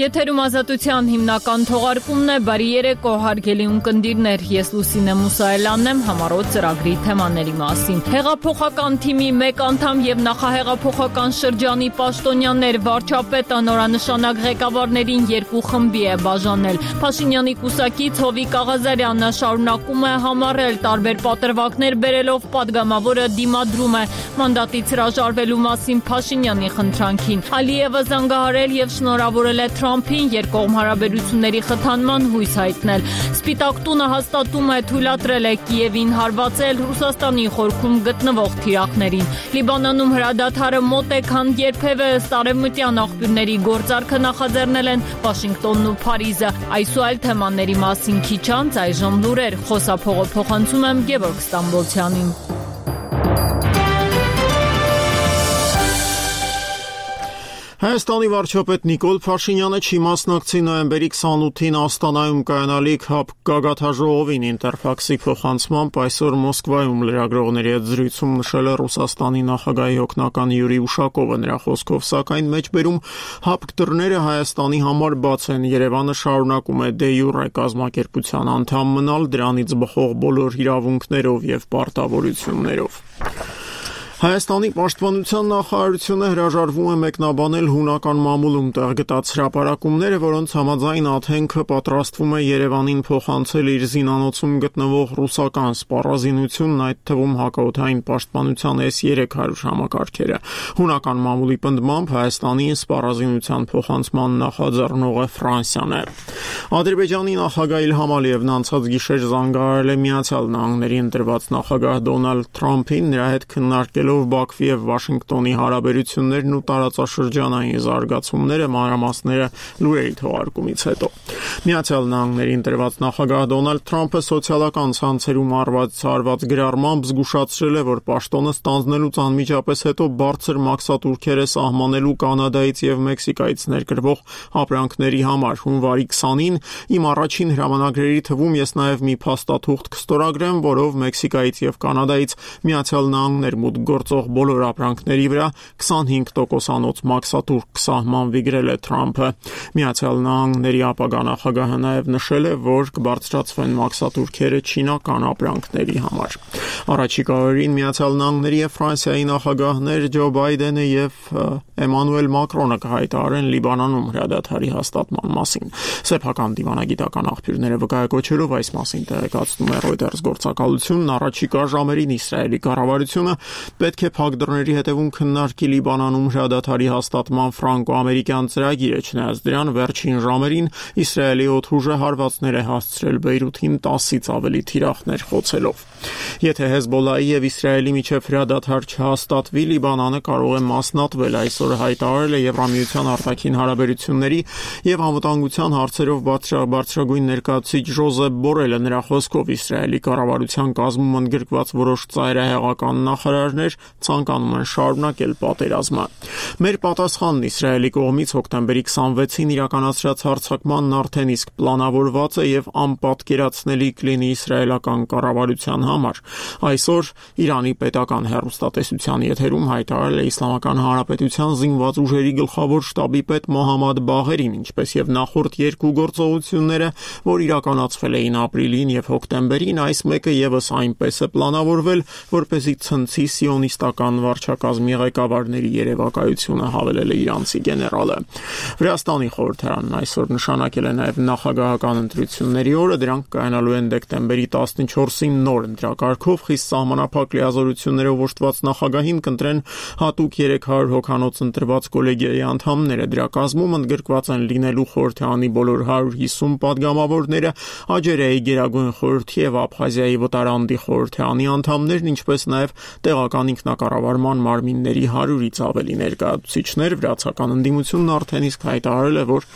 Եթերում ազատության հիմնական թողարկումն է, բարի երեկո հարգելի ունկնդիրներ, ես Լուսինե Մուսայելյանն եմ, համառոտ ծրագրի թեմաների մասին։ Հեղափոխական թիմի մեկ անդամ եւ նախահեղափոխական շրջանի պաշտոնյաներ վարչապետը նորանշանակ ղեկավարներին երկու խմբի է բաժանել։ Փաշինյանի կուսակից Հովիկ Աղազարյանը շարունակում է համառել տարբեր պատրվակներ բերելով պատգամավորը դիմադրում է մանդատից հրաժարվելու մասին Փաշինյանի խնդրանքին։ Ալիևը զանգահարել եւ շնորհավորել է Թրամփին երկկողմ հարաբերությունների խթանման հույս հայտնել։ Սպիտակ տունը հաստատում է թույլատրել է Կիևին հարվածել Ռուսաստանի խորքում գտնվող թիրախներին։ Լիբանանում հրադադարը մոտ է, քան երբևէ ըստ արևմտյան աղբյուրների գործարքը նախաձեռնել են Վաշինգտոնն ու Փարիզը։ Այս ու այլ թեմաների մասին քիչ անց այժմ լուրեր։ Խոսափողը փոխանցում եմ Գևորգ Ստամբոլցյանին։ Հայաստանի վարչապետ Նիկոլ Փաշինյանը չի մասնակցի նոյեմբերի 28-ին Աստանայում կայանալիք ՀԱՊ գագաթաժողովին Ինտերֆաքսի փոխանցմամբ այսօր Մոսկվայում լրագրողների հետ զրույցում նշել է Ռուսաստանի նախագահի օգնական Յուրի Ուշակովը նրա խոսքով, սակայն մեջբերում ՀԱՊ դռները Հայաստանի համար բաց են, Երևանը շարունակում է դե յուրե կազմակերպության անդամ մնալ դրանից բխող բոլոր իրավունքներով եւ պարտավորություններով։ Հայաստանի պաշտպանության նախարարությունը հրաժարվում է մեկնաբանել հունական մամուլում տեղգտած հրապարակումները, որոնց համաձայն Աթենքը պատրաստվում է Երևանին փոխանցել իր զինանոցում գտնվող ռուսական սպառազինությունն, այդ թվում հակաօդային պաշտպանության S-300 համակարգերը։ Հունական մամուլի պնդմամբ Հայաստանի սպառազինության փոխանցման նախաձեռնողը Ֆրանսիան է։ Ադրբեջանի նախագահ Իլհամ Ալիևն անցած գիշեր զանգահարել է Միացյալ Նահանգների ընտրված նախագահ Դոնալդ Թրամփին, նրա հետ քննարկելով Բաքվի եւ Վաշինգտոնի հարաբերություններն ու տարածաշրջանային զարգացումները, մանրամասները լուրերի թողարկումից հետո։ Միացյալ Նահանգների ընտրված նախագահ Դոնալդ Թրամփը սոցիալական ցանցերում արված գրառմամբ զգուշացրել է, որ պաշտոնը ստանձնելուց անմիջապես հետո բարձր մաքսատուրքեր է սահմանելու Կանադայից եւ Մեքսիկայից ներկրվող ապրանքների համար։ Հունվարի 20-ին իմ առաջին հրամանագրերի թվում ես նաեւ մի փաստաթուղթ կստորագրեմ, որով Մեքսիկայից եւ Կանադայից Միացյալ Նահանգներ մուտք գործող բոլոր ապրանքների վրա 25%-անոց մաքսատուրք կսահմանվի, գրել է Թրամփը։ Միացյալ Նահանգների ապագա նախագահը նաև նշել է, որ կբարձրացվեն մաքսատուրքերը չինական ապրանքների համար։ Առաջիկա օրերին Միացյալ Նահանգների եւ Ֆրանսիայի նախագահներ Ջո Բայդենը եւ Էմանուել Մակրոնը կհայտարարեն Լիբանանում հրադադարի հաստատման մասին։ Սեփական դիվանագիտական աղբյուրները վկայակոչելով այս մասին տեղեկացնում է Reuters գործակալությունն, առաջիկա ժամերին Իսրայելի կառավարությունը պետք է փակ դռների հետևում քննարկի Լիբանանում հրադադարի հաստատման ֆրանկո-ամերիկյան ծրագիրը, չնայած դրան վերջին ժամերին Իսրայելի օդուժը հարվածներ է հասցրել Բեյրութին 10-ից ավելի թիրախներ խոցելով։ Եթե Հեզբոլլայի եւ Իսրայելի միջև հրադադար չհաստատվի, Լիբանանը կարող է մասնատվել, այսօր հայտարարել է Եվրամիության արտաքին հարաբերությունների եւ անվտանգության հարցերով բարձրագույն ներկայացուցիչ Ժոզեփ Բորելը, նրա խոսքով Իսրայելի կառավարության կազմում ընդգրկված որոշ ծայրահեղական նախարարներ ցանկանում են շարունակել պատերազմը։ Մեր պատասխանն Իսրայելի կողմից հոկտեմբերի 26-ին իրականացրած հարձակմանն արդեն իսկ պլանավորված է եւ անպատկերացնելի կլինի իսրայելական կառավարության համար։ Այսօր Իրանի պետական հեռուստատեսության եթերում հայտարարել է Իսլամական Հանրապետության զինված ուժերի գլխավոր շտաբի պետ Մոհամմադ Բաղերին, ինչպես եւ նախորդ երկու գործողությունները, որ իրականացվել էին ապրիլին եւ հոկտեմբերին, այս մեկը եւս այնպես է պլանավորվել, որպեսզի ցնցի սիոնիստական վարչակազմի ղեկավարների երևակայությունը, հավելել է իրանցի գեներալը։ Վրաստանի խորհրդարանն այսօր նշանակել է նաեւ նախագահական ընտրությունների օրը, դրանք կայանալու են դեկտեմբերի 14-ին նոր ընտրակարգով, խիստ սահմանափակ լիազորություններով օժտված նախագահին կընտրեն հատուկ 300 հոգանոց ընտրված կոլեգիայի անդամները։ Դրա կազմում ընդգրկված են լինելու խորհրդարանի բոլոր 150 падգամավորները, Աջերիայի Գերագույն խորհրդի եւ Աբխազիայի վտարանդի խորհրդարանի անդամներն, ինչպես նաեւ տեղական ինքնակառավարման մարմինների 100-ից ավելի ներկայացուցիչներ։ Վրացական ընդդիմությունն արդեն իսկ հայտարարել է, որ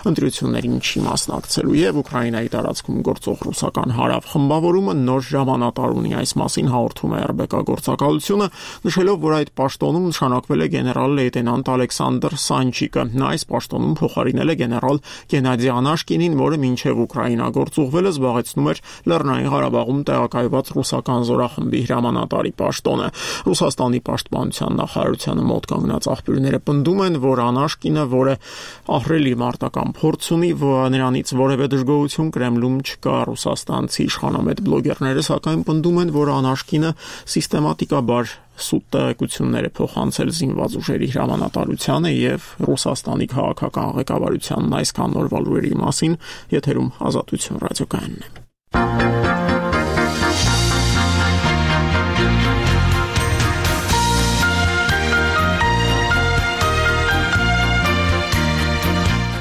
ընտրություններին չի մասնակցելու, եւ Ուկրաինայի տարածքում գործող ռուսական հարավ խմբավորումը նոր ժամանատար ունի։ Այս մասին հաղորդում է ՌԲԿ գործակալությունը, նշելով, որ այդ պաշտոնում նշանակվել է գեներալ լեյտենանտ Ալեքսանդր Սանչիկը։ Նա այս պաշտոնում փոխարինել է գեներալ Գենադի Անաշկինին, որը մինչև Ուկրաինա գործուղվելը զբաղեցնում էր Լեռնային Ղարաբաղում տեղակայված ռուսական զորախմբի հրամանատարի պաշտոնը։ Ռուսաստանի պաշտպանության նախարարությանը մոտ կանգնած աղբյուրները պնդում են, որ Անաշկինը, որը ահռելի մարտական փորձ ունի, նրանից որևէ դժգոհություն Կրեմլում չկա։ Ռուսաստանցի իշխանամետ բլոգերները սակայն պնդում են, որ Անաշկինը սիստեմատիկաբար սուտ տեղեկություններ է փոխանցել զինված ուժերի հրամանատարությանը եւ Ռուսաստանի քաղաքական ղեկավարությանն այսքան նորվա լուրերի մասին եթերում Ազատություն ռադիոկայանն է։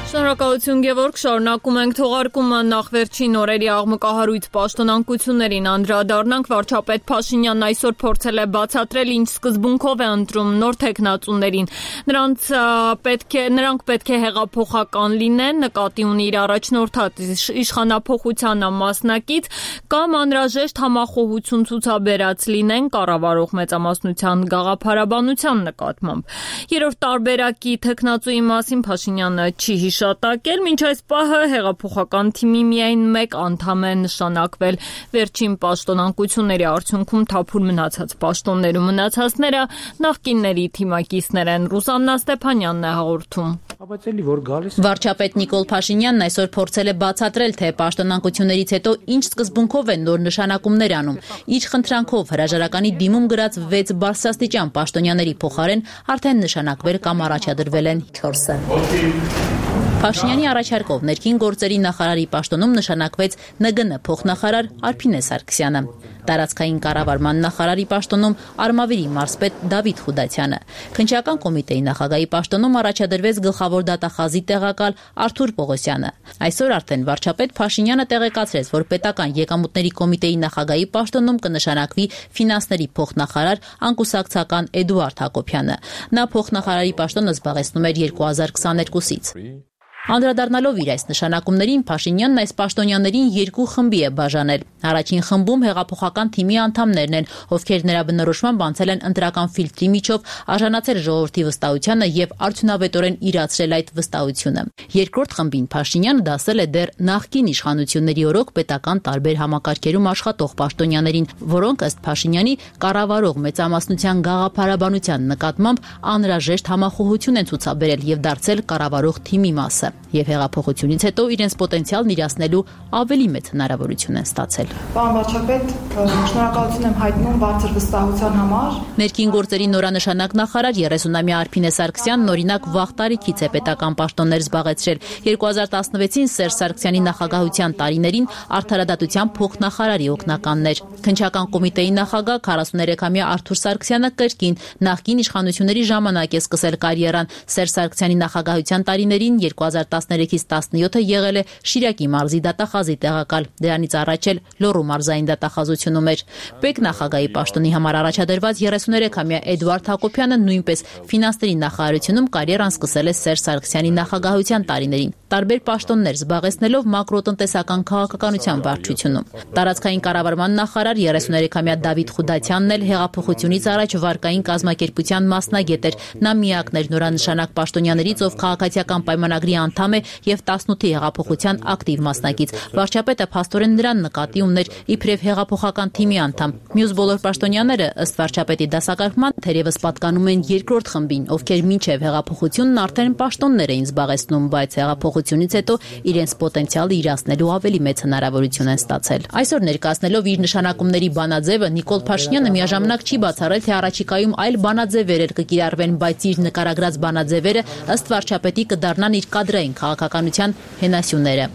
Շնորհակալություն Գևորգ, շարունակում ենք թողարկումը նախ վերջին օրերի աղմկահարույց պաշտոնանկություններին անդրադառնանք։ Վարչապետ Փաշինյանն այսօր փորձել է բացատրել ինչ սկզբունքով է ընտրում նոր թեկնածուներին։ Նրանք պետք է հեղափոխական լինեն, նկատի ունի իր առաջնորդած իշխանափոխությանը մասնակից կամ անհրաժեշտ համախոհություն ցուցաբերած լինեն կառավարող մեծամասնության գաղափարաբանության նկատմամբ։ Երրորդ տարբերակի թեկնածուի մասին Փաշինյանը չի հիշատակել, մինչ այս պահը հեղափոխական թիմի միայն մեկ անդամ է նշանակվել։ Վերջին պաշտոնանկությունների արդյունքում թափուր մնացած պաշտոններում մնացածները նախկինների թիմակիցներ են։ Ռուսաննա Ստեփանյանն է հաղորդում։ Վարչապետ Նիկոլ Փաշինյանն այսօր փորձել է բացատրել, թե պաշտոնանկություններից հետո ինչ սկզբունքով են նոր նշանակումներ անում։ Ինչ խնդրանքով հրաժարականի դիմում գրած 6 բարձրաստիճան պաշտոնյաների փոխարեն արդեն նշանակվել կամ առաջադրվել են 4-ը։ Փաշինյանի առաջարկով ներքին գործերի նախարարի պաշտոնում նշանակվեց ՆԳՆ փոխնախարար Արփինե Սարգսյանը։ Տարածքային կառավարման նախարարի պաշտոնում Արմավիրի մարզպետ Դավիթ Խուդացյանը։ Քննչական կոմիտեի նախագահի պաշտոնում առաջադրվեց գլխավոր դատախազի տեղակալ Արթուր Պողոսյանը։ Այսօր արդեն վարչապետ Փաշինյանը տեղեկացրեց, որ պետական եկամուտների կոմիտեի նախագահի պաշտոնում կնշանակվի ֆինանսների փոխնախարար անկուսակցական Էդուարդ Հակոբյանը։ Նա փոխնախարարի պաշտոնը զբաղեցնում էր 2022-ից։ Անդրադառնալով իր այս նշանակումներին Փաշինյանն այս պաշտոնյաներին 2 խմբի է բաժանել։ Առաջին խմբում հեղափոխական թիմի անդամներն են, ովքեր նրա բնորոշմամբ անցել են ընտրական ֆիլտրի միջով, արժանացել ժողովրդի վստահությանը եւ արդյունավետորեն իրացրել այդ վստահությունը։ Երկրորդ խմբին Փաշինյանը դասել է դեռ նախկին իշխանությունների օրոք պետական տարբեր համակարգերում աշխատող պաշտոնյաներին, որոնք ըստ Փաշինյանի կառավարող մեծամասնության գաղափարաբանության նկատմամբ անհրաժեշտ համախոհություն են ցուցաբերել եւ դարձել կառավարող թիմի մասը։ Եվ հեղափոխությունից հետո իրենց պոտենցիալն իրացնելու ավելի մեծ հնարավորություն են ստացել։ Պարոն վարչապետ, շնորհակալություն եմ հայտնում բարձր վստահության համար։ Ներքին գործերի նորանշանակ նախարար 30-ամյա Արփինե Սարգսյանն օրինակ վաղ տարիքից է պետական պաշտոններ զբաղեցրել։ 2016-ին Սերժ Սարգսյանի նախագահության տարիներին արդարադատության փոխնախարարի օգնականն էր։ Քննչական կոմիտեի նախագահ 43-ամյա Արթուր Սարգսյանը կրկին նախկին իշխանությունների ժամանակ է սկսել կարիերան։ Սերժ Սարգսյանի նախագահության տարիներին 2013-ից 17-ը եղել է Շիրակի մարզի դատախազի տեղակալ։ Դրանից առաջ էլ Լոռու մարզային դատախազությունում էր։ Պետ նախագահի պաշտոնի համար առաջադրված 33-ամյա Էդուարդ Հակոբյանը նույնպես ֆինանսների նախարարությունում կարիերան սկսել է Սերժ Սարգսյանի նախագահության տարիներին, տարբեր պաշտոններ զբաղեցնելով մակրոտնտեսական քաղաքականության վարչությունում։ Տարածքային կառավարման նախարար 33-ամյա Դավիթ Խուդացյանն էլ հեղափոխությունից առաջ վարկային կազմակերպության մասնագետ էր։ Նա միակն էր նորանշանակ պաշտոնյաներից, ով քաղաքացիական պայմանագրի անդամ է եւ 18-ի հեղափոխության ակտիվ մասնակից։ Վարչապետը փաստորեն նրան նկատի ուներ իբրև հեղափոխական թիմի անդամ։ Մյուս բոլոր պաշտոնյաները ըստ վարչապետի դասակարգման թերևս պատկանում են երկրորդ խմբին, ովքեր մինչև հեղափոխությունն արդեն պաշտոններ էին զբաղեցնում, բայց հեղափոխությունից հետո իրենց պոտենցիալը իրացնելու ավելի մեծ հնարավորություն են ստացել։ Այսօր ներկայացնելով իր նշանակումների բանաձևը Նիկոլ Փաշինյանը միաժամանակ չի բացառել, թե առաջիկայում այլ բանաձևեր կկիրառվեն, բայց իր նկարագրած բանաձևերը ըստ վարչապետի կդառնան իր կադրային քաղաքականության հենասյուները։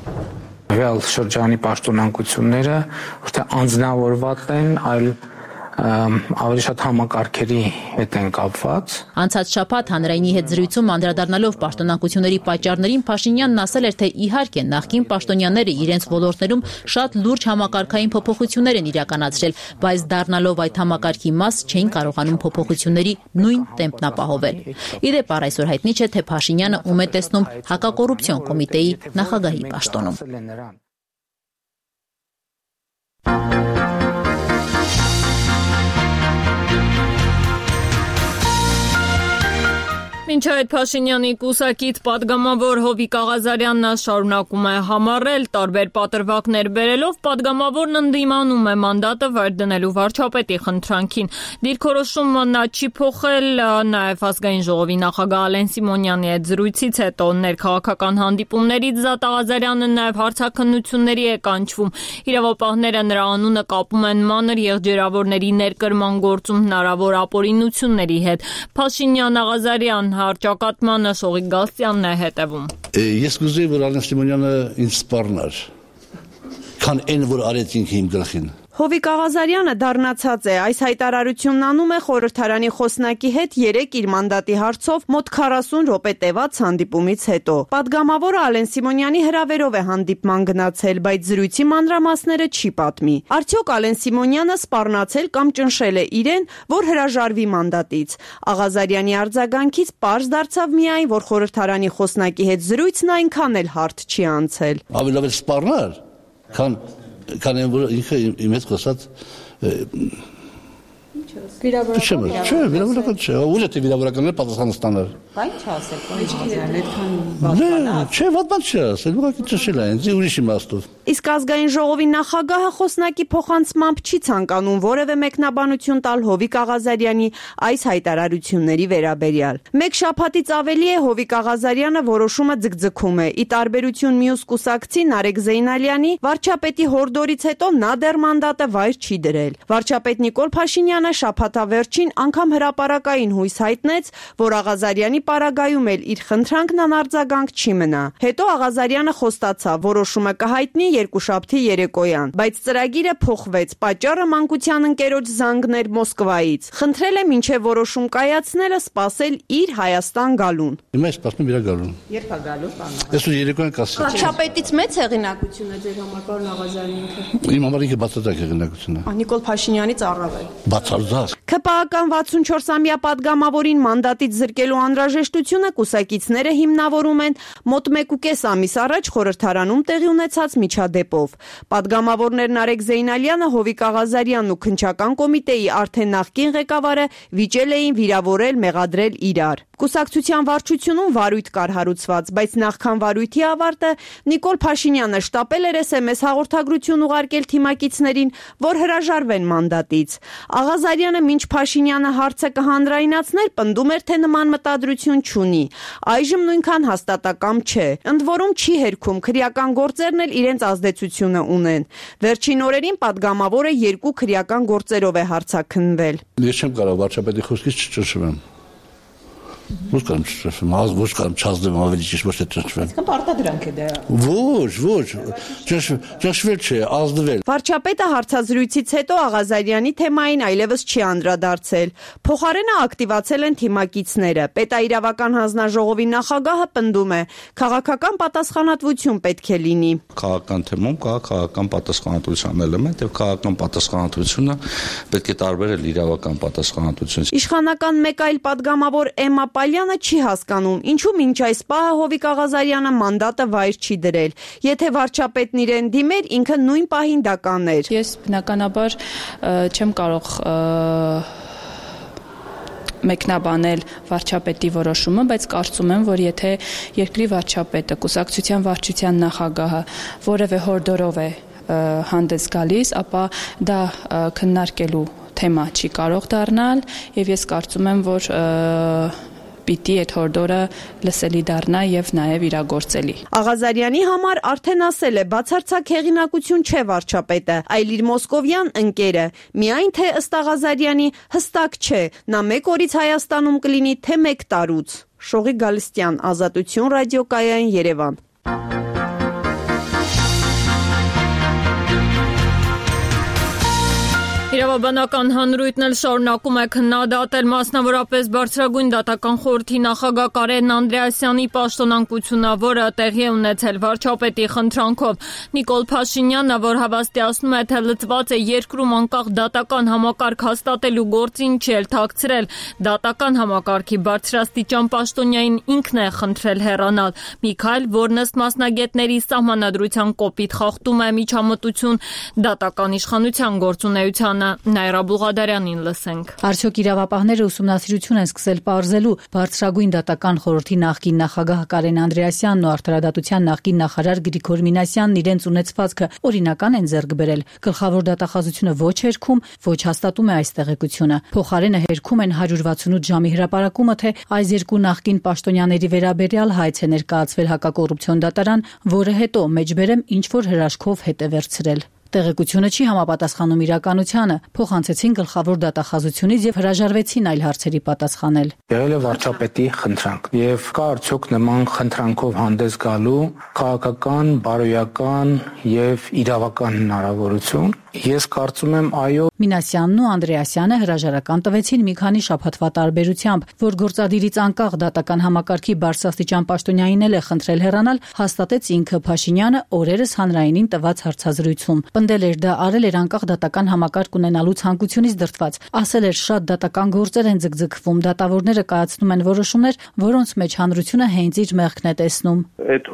Ռեալ շրջանի պաշտոնանկությունները ոչ թե անձնավորված են, այլ ավելի շատ համակարգերի հետ են կապված։ Անցած շաբաթ հանրայինի հետ զրույցում անդրադառնալով պաշտոնանկությունների պատճառներին Փաշինյանն ասել էր, թե իհարկե նախկին պաշտոնյաները իրենց ոլորտներում շատ լուրջ համակարգային փոփոխություններ են իրականացրել, բայց դառնալով այդ համակարգի մաս չէին կարողանում փոփոխությունների նույն տեմպն ապահովել։ Իդեպ այսօր հայտնի չէ, թե Փաշինյանը ում է տեսնում հակակոռուպցիոն կոմիտեի նախագահի պաշտոնում։ Մինչ այդ Փաշինյանի կուսակից պատգամավոր Հովիկ Աղազարյանն շարունակում է համառել, տարբեր պատրվակներ բերելով պատգամավորն ընդդիմանում է մանդատը վեր դնելու վարչապետի խնդրանքին։ Դիրքորոշումը նա չի փոխել, նաև ազգային ժողովի նախագահ Ալեն Սիմոնյանի հետ զրույցից հետո ներքաղաքական հանդիպումներից Զատ Աղազարյանը նաև հարցաքննությունների է կանչվում։ Իրավապահները նրա անունը կապում են մանր եղջերավորների ներկրման գործում հնարավոր ապօրինությունների հետ։ Փաշինյան Աղազարյան հարճակատմանը Շողիկ Գալստյանն է հետևում։ Ես կուզեի, որ Ալեն Սիմոնյանը ինձ սպառնար, քան այն, որ արեց ինքը իմ գլխին։ Հովիկ Աղազարյանը դառնացած է, այս հայտարարությունն անում է խորհրդարանի խոսնակի հետ 3 իր մանդատի հարցով մոտ 40 րոպե տևած հանդիպումից հետո։ Պատգամավորը Ալեն Սիմոնյանի հրավերով է հանդիպման գնացել, բայց զրույցի մանրամասները չի պատմի։ Արդյոք Ալեն Սիմոնյանը սպառնացել կամ ճնշել է իրեն, որ հրաժարվի մանդատից։ Աղազարյանի արձագանքից պարզ դարձավ միայն, որ խորհրդարանի խոսնակի հետ զրույցն այնքան էլ հարթ չի անցել։ Ավելի սպառնար, քան որ ինքը իմ հետ խոսած վիրավորական չէ, ուժ է վիրավորականները պատասխանը ստանար։ Բայց չասել, այդքան Չէ, վատ բան չի ասել, ուղղակի ճշել է ինձ ուրիշ իմաստով։ Իսկ ազգային ժողովի նախագահը խոսնակի փոխանցմամբ չի ցանկանում որևէ մեկնաբանություն տալ Հովիկ Աղազարյանի այս հայտարարությունների վերաբերյալ։ Մեկ շաբաթից ավելի է Հովիկ Աղազարյանը որոշումը ձգձգում է։ Ի տարբերություն մյուս կուսակցի Նարեկ Զեյնալյանի, վարչապետի հորդորից հետո նա դեռ մանդատը վայր չի դրել։ Վարչապետ Նիկոլ Փաշինյանը շաբաթավերջին անգամ հրապարակային հույս հայտնեց, որ Աղազարյանի պարագայում էլ իր խնդրանքն անարձագանք չի մնա։ Հետո Աղազարյանը խոստացավ, որոշումը կհայտնի երկուշաբթի երեկոյան, բայց ծրագիրը փոխվեց, պատճառը մանկության ընկերոջ զանգն էր Մոսկվայից։ Խնդրել է մինչև որոշում կայացնելը սպասել իր Հայաստան գալուն։ Հիմա սպասում իր գալուն։ Երբ է գալու, պարոն։ Այսօր երեկոյան կասի։ Վարչապետից մեծ հեղինակություն է ձեր համար, պարոն Աղազարյանը։ Իմ համար ինքը բացարձակ հեղինակություն է։ Նիկոլ Փաշինյանից առավել։ Բացարձակ։ ՔՊԱ-ական 64-ամյա պատգամավորին մանդատից զրկելու անհրաժեշտությունը կուսակիցները հիմնավորում են մոտ 1.5 ամիս առաջ խորհրդարանում տեղի ունեցած միջադեպով։ Պատգամավորներ Նարեկ Զեյնալյանը, Հովիկ Աղազարյանն ու քննչական կոմիտեի արդեն նախկին ղեկավարը վիճել էին վիրավորել, մեղադրել իրար։ Կուսակցության վարչությունում վարույթ կար հարուցված, բայց նախքան վարույթի ավարտը Նիկոլ Փաշինյանը շտապել էր SMS հաղորդագրություն ուղարկել թիմակիցներին, որ հրաժարվեն մանդատից։ Աղազարյանը մինչ Փաշինյանը հարցը կհանրայնացներ, պնդում էր, թե նման մտադրություն չունի։ Այժմ նույնքան հաստատակամ չէ։ Ընդ որում չի հերքում, քրեական գործերն էլ իրենց ազդեցությունը ունեն։ Վերջին օրերին պատգամավորը 2 քրեական գործերով է հարցաքննվել։ Ես չեմ կարող վարչապետի խոսքից չճնշվեմ։ Ոչ կամ չճնշվեմ, ոչ կամ չազդեմ ավելի ճիշտ ոչ թե ճնշվեմ։ Իսկ պարտադրանք է դա։ Ոչ, ճնշվել չէ, ազդվել։ Վարչապետը հարցազրույցից հետո Աղազարյանի թեմային այլևս չի անդրադարձել։ Փոխարենը ակտիվացել են թիմակիցները։ Պետաիրավական հանձնաժողովի նախագահը պնդում է, քաղաքական պատասխանատվություն պետք է լինի։ Քաղաքական թեմում կա քաղաքական պատասխանատվության էլեմենտ, եւ քաղաքական պատասխանատվությունը պետք է տարբերել իրավական պատասխանատվությունից։ Իշխանական մեկ այլ պատգամավոր Էմմա Պալյանը չի հասկանում, ինչու մինչ այս պահը Հովիկ Աղազարյանը մանդատը վայր չի դրել։ Եթե վարչապետն իրեն դիմեր, ինքը նույն պահին դա կաներ։ Ես բնականաբար չեմ կարող մեկնաբանել վարչապետի որոշումը, բայց կարծում եմ, որ եթե երկրի վարչապետը, կուսակցության վարչության նախագահը որևէ հորդորով է հանդես գալիս, ապա դա քննարկելու թեմա չի կարող դառնալ, եւ ես կարծում եմ, որ պիտի այդ հորդորը լսելի դառնա եւ նաեւ իրագործելի։ Աղազարյանի համար արդեն ասել է, բացարձակ հեղինակություն չէ վարչապետը, այլ իր մոսկովյան ընկերը։ Միայն թե ըստ Աղազարյանի հստակ չէ, նա 1 օրից Հայաստանում կլինի, թե 1 տարուց։ Շողիկ Գալստյան, Ազատություն ռադիոկայան, Երևան։ Իրավաբանական հանրույթն էլ շարունակում է քննադատել մասնավորապես Բարձրագույն դատական խորհրդի նախագահ Կարեն Անդրեասյանի պաշտոնանկությունը, որը տեղի է ունեցել վարչապետի խնդրանքով։ Նիկոլ Փաշինյանը, որ հավաստիացնում է, թե լծված է երկրում անկախ դատական համակարգ հաստատելու գործին, չի էլ թաքցրել։ Դատական համակարգի բարձրաստիճան պաշտոնյային ինքն է խնդրել հեռանալ։ Միքայել, որն ըստ մասնագետների սահմանադրության կոպիտ խախտում է միջամտություն դատական իշխանության գործունեությանը, Նայրա Բուղադարյանին լսենք։ Արդյոք իրավապահները ուսումնասիրություն են սկսել պարզելու բարձրագույն դատական խորհրդի նախկին նախագահ Կարեն Անդրեասյանն ու Արդարադատության նախկին նախարար Գրիգոր Մինասյանն իրենց ունեցվածքը օրինական են ձեռք բերել։ Գլխավոր դատախազությունը ոչ հերքում, ոչ հաստատում է այս տեղեկությունը։ Փոխարենը հերքում են 168 ժամի հրապարակումը, թե այս երկու նախկին պաշտոնյաների վերաբերյալ հայց է ներկայացվել հակակոռուպցիոն դատարան, որը հետո մեջբերեմ ինչ որ հրաշքով հետ է վերցրել։ Տեղեկությունը չի համապատասխանում իրականությանը, փոխանցեցին գլխավոր դատախազությունից եւ հրաժարվեցին այլ հարցերի պատասխանել։ Եղել է վարչապետի խնդրանք եւ կա արդյոք նման խնդրանքով հանդես գալու քաղաքական, բարոյական եւ իրավական հնարավորություն։ Ես կարծում եմ այո։ Մինասյանն ու Անդրեասյանը հրաժարական տվեցին մի քանի շաբաթվա տարբերությամբ, որ գործադիրից անկախ դատական համակարգի բարձրաստիճան պաշտոնյային է խնդրել հեռանալ, հաստատեց ինքը Փաշինյանը օրերս հանրայինին տված հարցազրույցում։ Պնդել էր դա արել էր անկախ դատական համակարգ ունենալու ցանկությունից դրդված։ Ասել էր շատ դատական գործեր են ձգձգվում, դատավորները կայացնում են որոշումներ, որոնց մեջ հանրությունը հենց իր մեղքն է տեսնում։ Այդ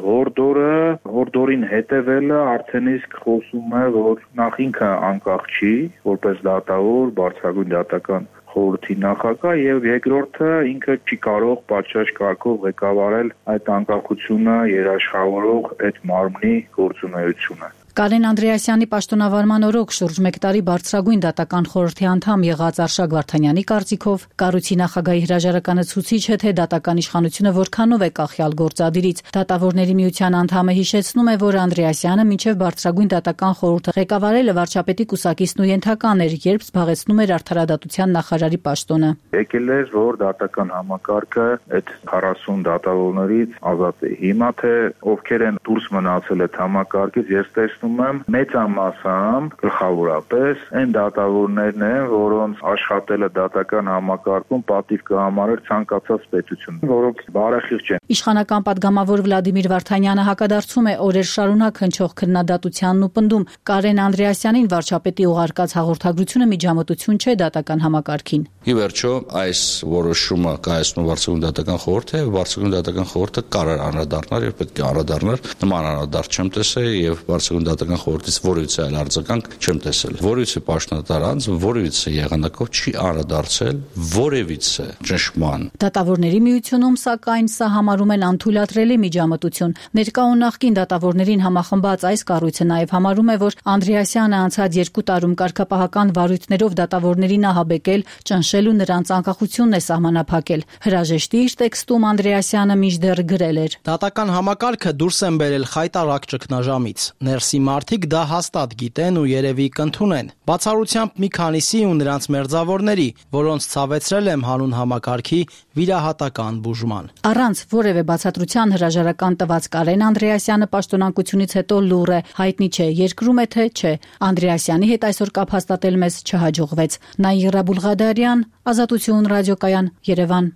հորդորին հետևելը արդեն իսկ խոսում է, որ նախ ինքը անկախ չի, որպես դատավոր, բարձրագույն դատական խորհրդի նախագահ եւ երկրորդը ինքը չի կարող պատշաճ կարգով ղեկավարել այդ անկախությունը երաշխավորող այդ մարմնի գործունեությունը։ Կարեն Անդրեասյանի պաշտոնավարման օրոք շուրջ 1 տարի բարձրագույն դատական խորհրդի անդամ եղած Արշակ Վարդանյանի կարծիքով կառույցի նախագահի հրաժարականը ցույց է, թե դատական իշխանությունը որքանով է կախյալ գործադիրից։ Դատավորների միության անդամը հիշեցնում է, որ Անդրեասյանը մինչև բարձրագույն դատական խորհուրդը ղեկավարելը վարչապետի կուսակիցն ու ենթական էր, երբ զբաղեցնում էր Արդարադատության նախարարի պաշտոնը։ Եկել էր, որ դատական համակարգը այդ 40 դատավորներից ազատ է։ Հիմա թե ովքեր են դուրս մնացել այդ համակարգից, ես մեծամասամբ գլխավորապես այն դատավորներն են, որոնց աշխատելը դատական համակարգում պատիվ կհամարեր ցանկացած պետություն, որոնք բարեխիղճ են։ Իշխանական падգամավոր Վլադիմիր Վարդանյանը հակադարձում է օրեր շարունակ հնչող քննադատությանն ու պնդում Կարեն Անդրեասյանին վարչապետի ուղարկած հաղորդագրությունը միջամտություն չէ դատական համակարգին։ Ի վերջո այս որոշումը կայացնում վարչագույն դատական խորհուրդը, վարչագույն դատական խորհուրդը կարող է անդրադառնալ եւ պետք է անդրադառնալ, նման անդրադարձ չեմ տեսել եւ վարչագույն դատական խորհրդից որևիցե այլ արձագանք չեմ տեսել։ Որևիցե պաշտոնատար անձ որևիցե եղանակով չի անդրադարձել որևիցե ճնշման։ Դատավորների միությունում սակայն սա համարում են անթույլատրելի միջամտություն։ Ներկա ու նախկին դատավորներին համախմբած այս կառույցը նաև համարում է, որ Անդրեասյանը անցած 2 տարում կարգապահական վարույթներով դատավորներին ահաբեկել, ճնշել ու նրանց անկախությունն է սահմանափակել։ Հրաժեշտի իր տեքստում Անդրեասյանը մինչդեռ գրել էր. Դատական համակարգը դուրս են բերել խայտարակ ճգնաժամից։ Ներսի մարդիկ դա հաստատ գիտեն ու երևի կընդունեն։ Բացառությամբ մի քանիսի ու նրանց մերձավորների, որոնց ցավեցրել եմ հանուն համակարգի վիրահատական բուժման։ Առանց որևէ բացատրության հրաժարական տված Կարեն Անդրեասյանը պաշտոնակությունից հետո լուռ է, հայտնի չէ, երկրում է թե չէ։ Անդրեասյանի հետ այսօր կապ հաստատել մեզ չհաջողվեց։ Նայրա Բուղադարյան, Ազատություն ռադիոկայան, Երևան։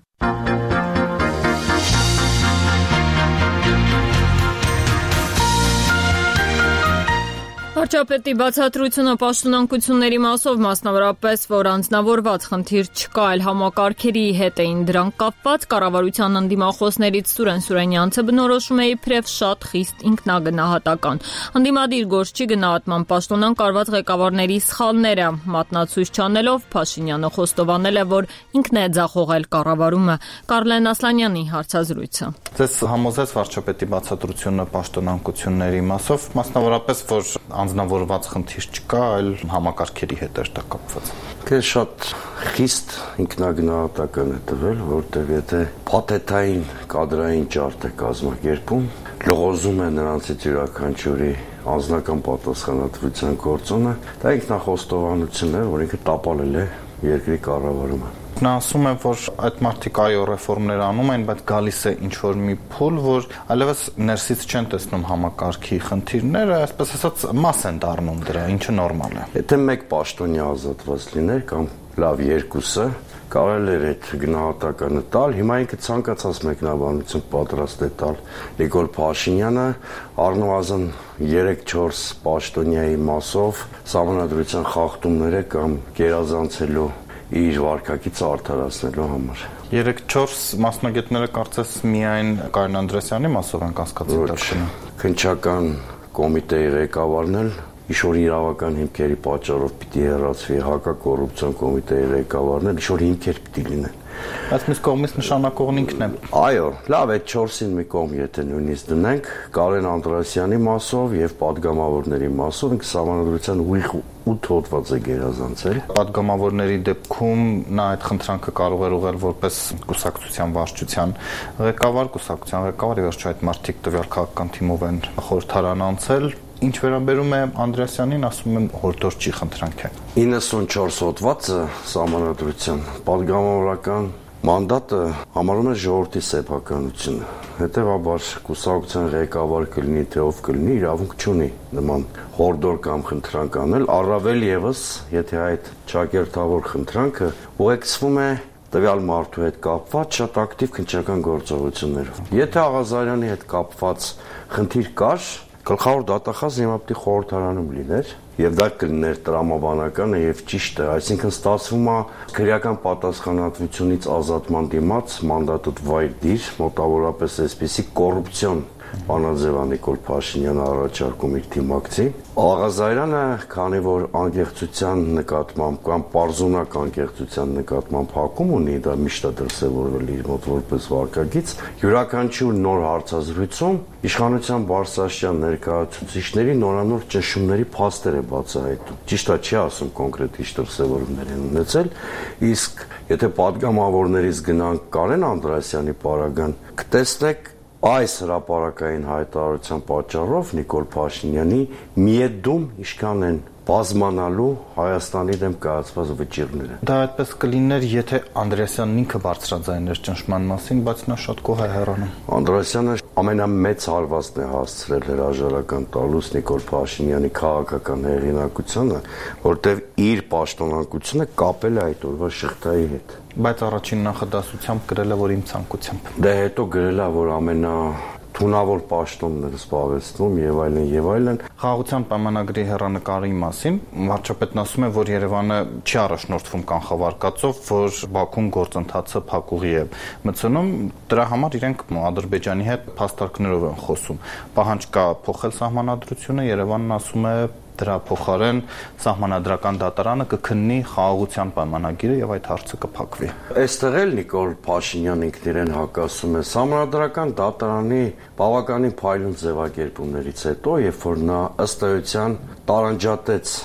Վարչապետի բացատրությունը պաշտոնանկությունների մասով, մասնավորապես, որ անձնավորված խնդիր չկա, այլ համակարգերի հետ էին դրանք կապված, կառավարության ընդդիմախոսներից Սուրեն Սուրենյանցը բնորոշում է իբրև շատ խիստ ինքնագնահատական։ Ընդդիմադիր գործչի գնահատման պաշտոնանկ արված ղեկավարների սխալները մատնացույց չանելով Փաշինյանը խոստովանել է, որ ինքն է ձախողել կառավարումը։ Կարլեն Ասլանյանի հարցազրույցը։ Ձեզ համոզեց վարչապետի բացատրությունը պաշտոնանկությունների մասով, մասնավորապես, որ անձնավորված խնդիր չկա, այլ համակարգերի հետ է դա կապված։ Քեզ շատ խիստ ինքնագնահատական է տվել, որտեղ եթե փաթեթային կադրային ճարտ է կազմակերպում, լողոզում է նրանցից յուրաքանչյուրի անձնական պատասխանատվության գործոնը, դա ինքնախոստովանություն է, որ ինքը տապալել է երկրի կառավարումը։ Նա ասում է, որ այդ մարդիկ այո ռեֆորմներ անում են, բայց գալիս է ինչ-որ մի փուլ, որ այլևս ներսից չեն տեսնում համակարգի խնդիրները, այսպես ասած մաս են դառնում դրա, ինչը նորմալ է։ Եթե մեկ պաշտոնյա ազատված լիներ կամ լավ երկուսը, կարելի էր այդ գնահատականը տալ, հիմա ինքը ցանկացած մեկնաբանություն պատրաստ է տալ։ Նիկոլ Փաշինյանը առնվազն 3-4 պաշտոնյայի մասով սահմանադրության խախտումները կամ գերազանցելու իր վարկակից արդարացնելու համար։ 3-4 մասնագետները կարծես միայն Կարեն Անդրեասյանի մասով են կասկածի տակ դնում։ Քննչական կոմիտեի ղեկավարն էլ ինչ-որ իրավական հիմքերի պատճառով պիտի հեռացվի հակակոռուպցիոն կոմիտեի ղեկավարներ, ինչ-որ հիմքեր պիտի լինեն։ Բայց մյուս կողմից նշանակողն ինքն է։ Այո, լավ, այդ 4-ին մի կողմ եթե նույնիսկ դնենք, Կարեն Անդրեասյանի մասով եւ падգամավորների մասով ինքը սահմանադրության ուղիղ 8 հոդված է գերազանցել։ Падգամավորների դեպքում նա այդ խնդրանքը կարող էր ուղղել որպես կուսակցության վարչության ղեկավար, եւ վերջո այդ մարդիկ տվյալ քաղաքական թիմով են խորհրդարան անցել։ Ինչ վերաբերում է Անդրեասյանին, ասում եմ հորդոր չի խնդրանք է։ 94 հոդվածը սահմանադրության падգամավորական մանդատը համարում է ժողովրդի սեփականությունը։ Հետևաբար կուսակցության ղեկավար կլինի, թե ով կլինի, իրավունք չունի նման հորդոր կամ խնդրանք անել, առավել եւս, եթե այդ ճակերտավոր խնդրանքը ուղեկցվում է տվյալ մարդու հետ կապված շատ ակտիվ քննչական գործողություններով։ Եթե Աղազարյանի հետ կապված խնդիր կար, գլխավոր դատախազը հիմա պետք է խորհրդարանում լիներ եւ դա կլիներ տրամաբանականը եւ ճիշտ է, այսինքն ստացվում է քրեական պատասխանատվությունից ազատման դիմաց մանդատուտ վայր դիր, մոտավորապես այսպիսի կոռուպցիոն Անաձևա Նիկոլ Փաշինյանը առաջարկում իր թիմակցի։ Աղազարյանը, քանի որ անկեղծության նկատմամբ կամ պարզունակ անկեղծության նկատմամբ հակում ունի, դա միշտ է դրսևորվել իր մոտ որպես վարկագիծ, յուրաքանչյուր նոր հարցազրույցում իշխանության բարձրաստիճան ներկայացուցիչների նորանոր ճնշումների փաստեր է բացահայտում։ Ճիշտ է, չի ասում կոնկրետ ինչ դրսևորումներ են ունեցել, իսկ եթե падգամավորներից գնանք Կարեն Անդրեասյանի պարագան, կտեսնեք այս հրապարակային հայտարարության պատճառով Նիկոլ Փաշինյանի միեդում ինչքան են բազմանալու Հայաստանի դեմ կայացված վճիռները։ Դա այդպես կլիներ, եթե Անդրեասյանն ինքը բարձրաձայներ ճնշման մասին, բայց նա շատ գոհ է հեռանում։ Անդրեասյանը ամենամեծ հարվածն է հասցրել հրաժարական տալուց Նիկոլ Փաշինյանի քաղաքական հեղինակությանը, որտեղ իր պաշտոնակությունը կապել է այդ օրվա շղթայի հետ։ Բայց առաջին նախադասությամբ գրել է, որ իմ ցանկությամբ։ Դե հետո գրել է, որ ամենաթունավոր պաշտոնն է զբաղեցնում եւ այլն եւ այլն։ Խաղաղության պայմանագրի հեռանկարի մասին վարչապետն ասում է, որ Երևանը չի առաջնորդվում կանխավարկածով, որ Բաքուն գործընթացը փակուղի է մտցնում, դրա համար իրենք Ադրբեջանի հետ փաստարկներով են խոսում։ Պահանջ կա փոխել սահմանադրությունը, Երևանն ասում է դրա փոխարեն սահմանադրական դատարանը կքննի խաղաղության պայմանագիրը եւ այդ հարցը կփակվի։ Այստեղ էլ Նիկոլ Փաշինյանն ինքն իրեն հակասում է սահմանադրական դատարանի բավականին փայլուն ձևակերպումներից հետո, երբ որ նա ըստ էության տարանջատեց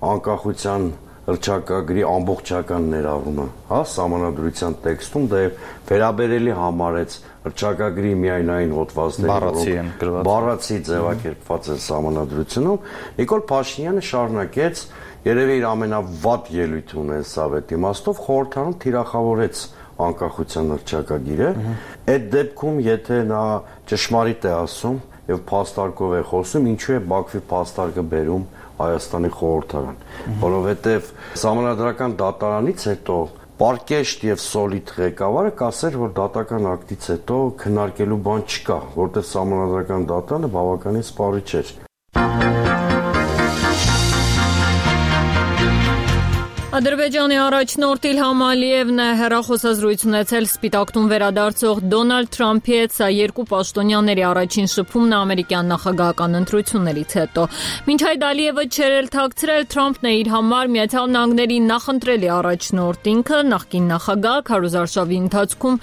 անկախության հռչակագրի ամբողջական ներառումը, սահմանադրության տեքստում դա վերաբերելի համարեց հռչակագրի միայնային հոդվածների բառացի ձևակերպված են սահմանադրությունում, Նիկոլ Փաշինյանը շարունակեց երևի իր ամենավատ ելույթը ունեցավ այդ իմաստով խորհրդարանում թիրախավորեց անկախության հռչակագիրը։ Այդ դեպքում եթե նա ճշմարիտ է ասում եւ փաստարկով է խոսում, ինչու է Բաքվի փաստարկը բերում Հայաստանի խորհրդարան, որովհետև սահմանադրական դատարանից հետո պարկեշտ եւ սոլիդ ղեկավարը կասեր, որ դատական ակտից հետո քննարկելու բան չկա, որտեղ սահմանադրական դատարանը բավականին սպառիչ էր։ Ադրբեջանի առաջնորդ Իլհամ Ալիևն է հեռախոսազրույց ունեցել Սպիտակ տուն վերադարձող Դոնալդ Թրամփի հետ, սա երկու պաշտոնյաների առաջին շփումն է ամերիկյան նախագահական ընտրություններից հետո։ Մինչ այդ Ալիևը չէր էլ թաքցրել, Թրամփն է իր համար Միացյալ Նահանգների նախընտրելի առաջնորդ, ինքը նախկին նախագահ քարոզարշավի ընթացքում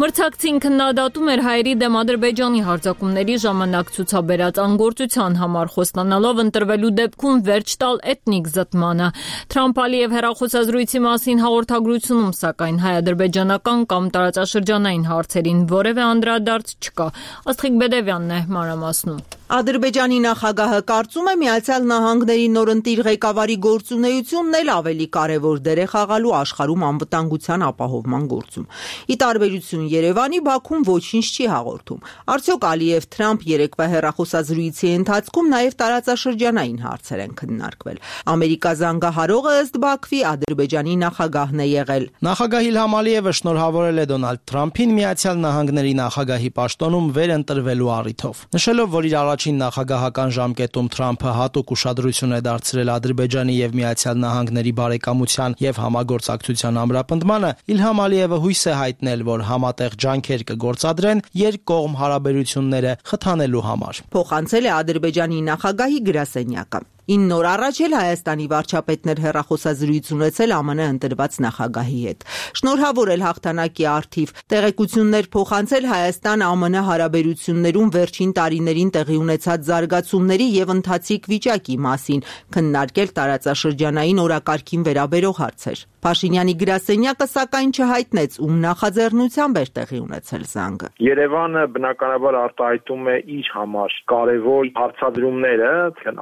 մրցակցին քննադատում էր հայերի դեմ Ադրբեջանի հարձակումների ժամանակ ցուցաբերած անգործության համար, խոստանալով ընտրվելու դեպքում վերջ տալ էթնիկ զտմանը։ Թրամփ-Ալիև հեռախոսազրույցի մասին հաղորդագրությունում, սակայն հայ-ադրբեջանական կամ տարածաշրջանային հարցերին որևէ անդրադարձ չկա։ Աստղիկ Բեդևյանն է մանրամասնում։ Ադրբեջանի նախագահը կարծում է Միացյալ Նահանգների նորընտիր ղեկավարի գործունեությունն էլ ավելի կարևոր դեր է խաղալու աշխարհում անվտանգության ապահովման գործում։ Ի տարբերություն Երևանի, Բաքուն ոչինչ չի հաղորդում։ Արդյոք Ալիև-Թրամփ երեկվա հեռախոսազրույցի ընթացքում նաև տարածաշրջանային հարցեր են քննարկվել։ Ամերիկա զանգահարողը ըստ Բաքվի Ադրբեջանի նախագահն է եղել։ Նախագահ Իլհամ Ալիևը շնորհավորել է Դոնալդ Թրամփին Միացյալ Նահանգների նախագահի պաշտոնում վերընտրվելու առիթով, նշելով, որ իր առաջին նախագահական ժամկետում Թրամփը հատուկ ուշադրություն է դարձրել Ադրբեջանի եւ Միացյալ Նահանգների բարեկամության եւ համագործակցության ամրապնդմանը, Իլհամ Ալիևը հույս է հայտնել, որ համատեղ ջանքեր կգործադրեն երկկողմ հարաբերությունները խթանելու համար։ Փոխանցել է Ադրբեջանի նախագահի գրասենյակը։ 9 օր առաջ էլ Հայաստանի վարչապետն էր հեռախոսազրույց ունեցել ԱՄՆ ընտրված նախագահի հետ։ Շնորհավորել հաղթանակի առթիվ, տեղեկություններ փոխանցել Հայաստան-ԱՄՆ հարաբերություններում վերջին տարիներին տեղի ունեցած զարգացումների եւ ընթացիկ վիճակի մասին, քննարկել տարածաշրջանային օրակարգին վերաբերող հարցեր։ Փաշինյանի գրասենյակը սակայն չհայտնեց, ում նախաձեռնությամբ էր տեղի ունեցել զանգը։ Երևանը բնականաբար արտահայտում է իր համար կարևոր հարցադրումները,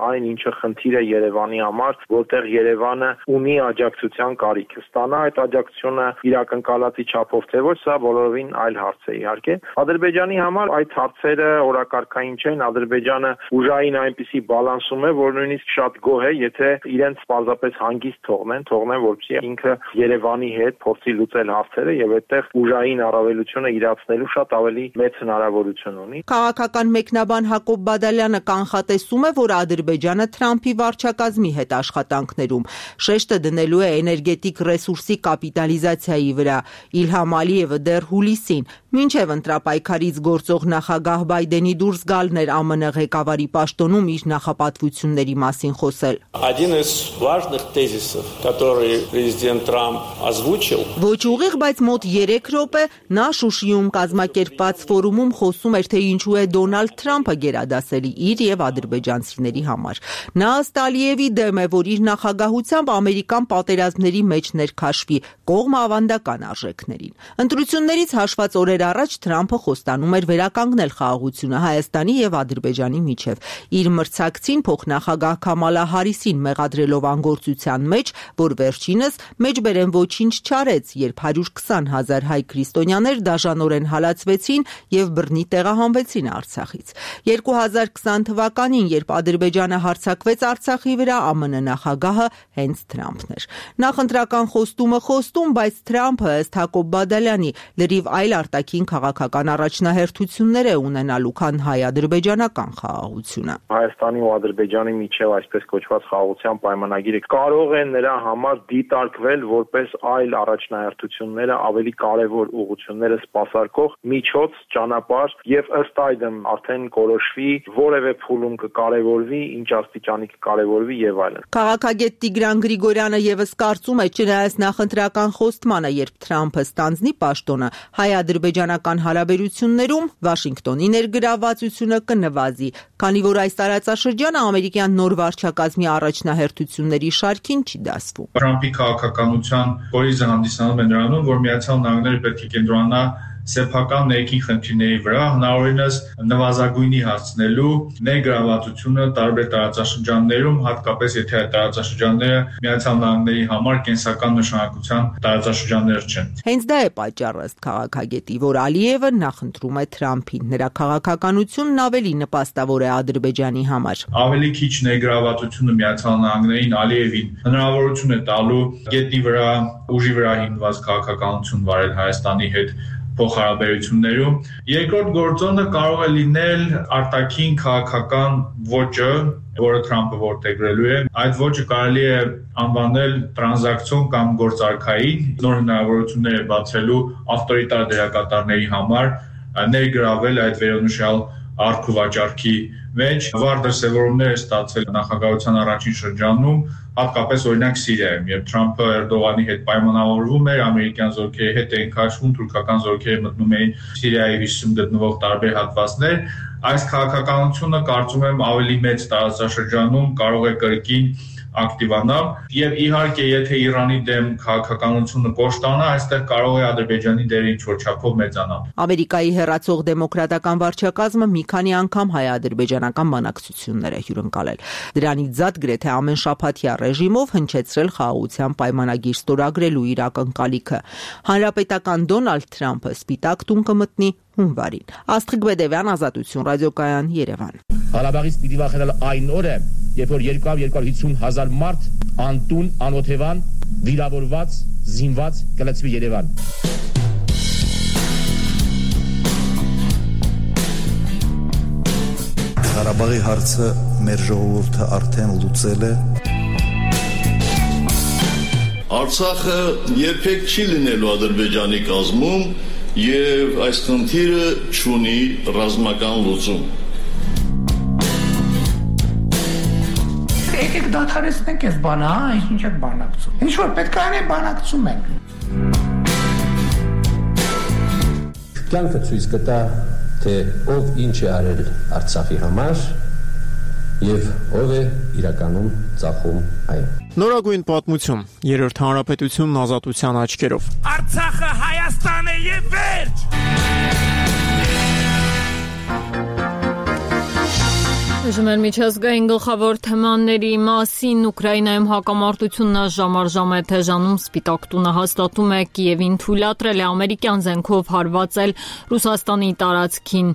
այն ինչը խնդիր է Երևանի համար, որտեղ Երևանը ունի աջակցության կարիք ստանա, այդ աջակցությունը իր ակնկալածի չափով թե ոչ, սա բոլորովին այլ հարց է իհարկե։ Ադրբեջանի համար այդ հարցերը օրակարգային չեն, Ադրբեջանը ուժային այնպիսի բալանսում է, որ նույնիսկ շատ գոհ է, եթե իրենց պարզապես հանգիստ թողնեն, որպեսզի ինքը Երևանի հետ փորձի լուծել հարցերը եւ այդտեղ ուժային առավելությունը իրացնելու շատ ավելի մեծ հնարավորություն ունի։ Քաղաքական մեկնաբան Հակոբ Բադալյանը կանխատեսում է, որ Ադրբեջանը Թրամփի վարչակազմի հետ աշխատանքներում շեշտը դնելու է էներգետիկ ռեսուրսի կապիտալիզացիայի վրա։ Իլհամ Ալիևը դեռ հուլիսին, մինչև ընտրապայքարից գործող նախագահ Բայդենի դուրս գալն էր ԱՄՆ ղեկավարի պաշտոնում իր նախապատվությունների մասին խոսել։ Один из важных тезисов, который президент Трамп озвучил. Ոչ ուղիղ, բայց մոտ 3 րոպե նա Շուշիում կազմակերպված ֆորումում խոսում էր, թե ինչու է Դոնալդ Թրամփը գերադասելի իր եւ ադրբեջանցիների համար։ Նա ըստ Ալիևի դեմ է, որ իր նախագահությամբ Ամերիկան պատերազմների մեջ ներքաշվի կողմ ավանդական արժեքներին։ Ընտրություններից հաշված օրեր առաջ Թրամփը խոստանում էր վերականգնել խաղաղությունը Հայաստանի եւ Ադրբեջանի միջև։ Իր մրցակցին փոխնախագահ Քամալա Հարիսին մեղադրելով անգործության մեջ, որ վերջինս մեջբերեն ոչինչ չարեց, երբ 120,000 հայ քրիստոնյաներ դաժանորեն հալածվեցին եւ բռնի տեղահանվեցին Արցախից։ 2020 թվականին, երբ Ադրբեջանը հարձակվեց Արցախի վրա, ԱՄՆ նախագահը հենց Թրամփն էր։ Նախընտրական խոստումը խոստում, բայց Թրամփը, ըստ Հակոբ Բադալյանի, լրիվ այլ արտաքին քաղաքական առաջնահերթություններ է ունենալու, քան հայ-ադրբեջանական խաղաղությունը։ Հայաստանի ու Ադրբեջանի միջև այսպես կոչված խաղաղության պայմանագիրը կարող է նրա համար դիտարկվել որպես այլ առաջնահերթությունները ավելի կարևոր ուղղությունները սպասարկող միջոց, ճանապարհ եւ ըստ այդմ արդեն կորոշվի որևէ փուլում կկարևորվի, ինչ աստիճանի կկարևորվի եւ այլն։ Քաղաքագետ Տիգրան Գրիգորյանը եւս կարծում է, չնայած նախընտրական խոստմանը, երբ Թրամփը ստանձնի պաշտոնը, հայ-ադրբեջանական հարաբերություններում Վաշինգտոնի ներգրավվածությունը կնվազի, քանի որ այս տարածաշրջանը ամերիկյան նոր վարչակազմի առաջնահերթությունների շարքին չի դասվում։ Թրամփի քաղաքականության կորիզը հանդիսանում է նրանում, որ Միացյալ Նահանգները պետք է կենտրոնանա սեփական ներքին խնդիրների վրա, հնարավորինս նվազագույնի հասցնելու ներգրավվածությունը տարբեր տարածաշրջաններում, հատկապես եթե այդ տարածաշրջանները Միացյալ Նահանգների համար կենսական նշանակության տարածաշրջաններ չեն։ Հենց դա է պատճառը, ըստ քաղաքագետի, որ Ալիևը նախընտրում է Թրամփին։ Նրա քաղաքականությունն ավելի նպաստավոր է Ադրբեջանի համար։ Ավելի քիչ ներգրավվածությունը Միացյալ Նահանգներին Ալիևին հնարավորություն է տալու գետնի վրա, ուժի վրա հիմնված քաղաքականություն վարել Հայաստանի հետ փոխհարաբերություններում։ Երկրորդ գործոնը կարող է լինել արտաքին քաղաքական ոճը, որը Թրամփը որդեգրելու է։ Այդ ոճը կարելի է անվանել տրանզակցիոն կամ գործարքային, նոր հնարավորություններ է բացելու ավտորիտար դերակատարների համար ներգրավել այդ վերոնշյալ արքուվաճառքի մեջ։ Վառ դրսևորումներ է ստացել նախագահության առաջին շրջանում, հատկապես օրինակ Սիրիայում, երբ Թրամփը Էրդողանի հետ պայմանավորվում էր, ամերիկյան զորքերի հետ էին քաշվում, թուրքական զորքերը մտնում էին Սիրիայի հյուսիսում գտնվող տարբեր հատվածներ, այս քաղաքականությունը կարծում եմ ավելի մեծ տարածաշրջանում կարող է կրկին ակտիվանալ եւ իհարկե եթե Իրանի դեմ քաղաքականությունը կոշտանա, այստեղ կարող է Ադրբեջանի դերը ինչ-որ չափով մեծանալ։ Ամերիկայի հեռացող դեմոկրատական վարչակազմը մի քանի անգամ հայ-ադրբեջանական բանակցություններ է հյուրընկալել։ Դրանից զատ գրեթե ամեն շաբաթյա ռեժիմով հնչեցրել խաղաղության պայմանագիր ստորագրելու իր ակնկալիքը։ Հանրապետական Դոնալդ Թրամփը սպիտակ տուն կմտնի հունվարին։ Աստղիկ Բեդևյան, Ազատություն ռադիոկայան, Երևան։ Ղարաբաղից պիտի վախենալ այն օրը, երբ որ 250,000 մարդ անտուն, անօթևան, վիրավորված, զինված կլցվի Երևան։ Ղարաբաղի հարցը մեր ժողովուրդը արդեն լուծել է։ Արցախը երբեք չի լինելու Ադրբեջանի կազմում եւ այս խնդիրը չունի ռազմական լուծում։ եկեք դադարեցնենք այս բանը, հա, ինչ եք բանակցում։ Ինչ որ պետք է անենք, բանակցում ենք։ Կյանքը ցույց կտա, թե ով ինչ է արել Արցախի համար եւ ով է իրականում ծախում այն։ Նորագույն պատմություն, Երրորդ հանրապետությունն ազատության աչքերով։ Արցախը Հայաստան է եւ վերջ։ Ժմեր միջազգային գլխավոր թեմաների մասին Ուկրաինայում հակամարտությունը ժամ է թեժանում, Սպիտակ տունը հաստատում է Կիևին թույլատրել է ամերիկյան զենքով հարվածել Ռուսաստանի տարածքին։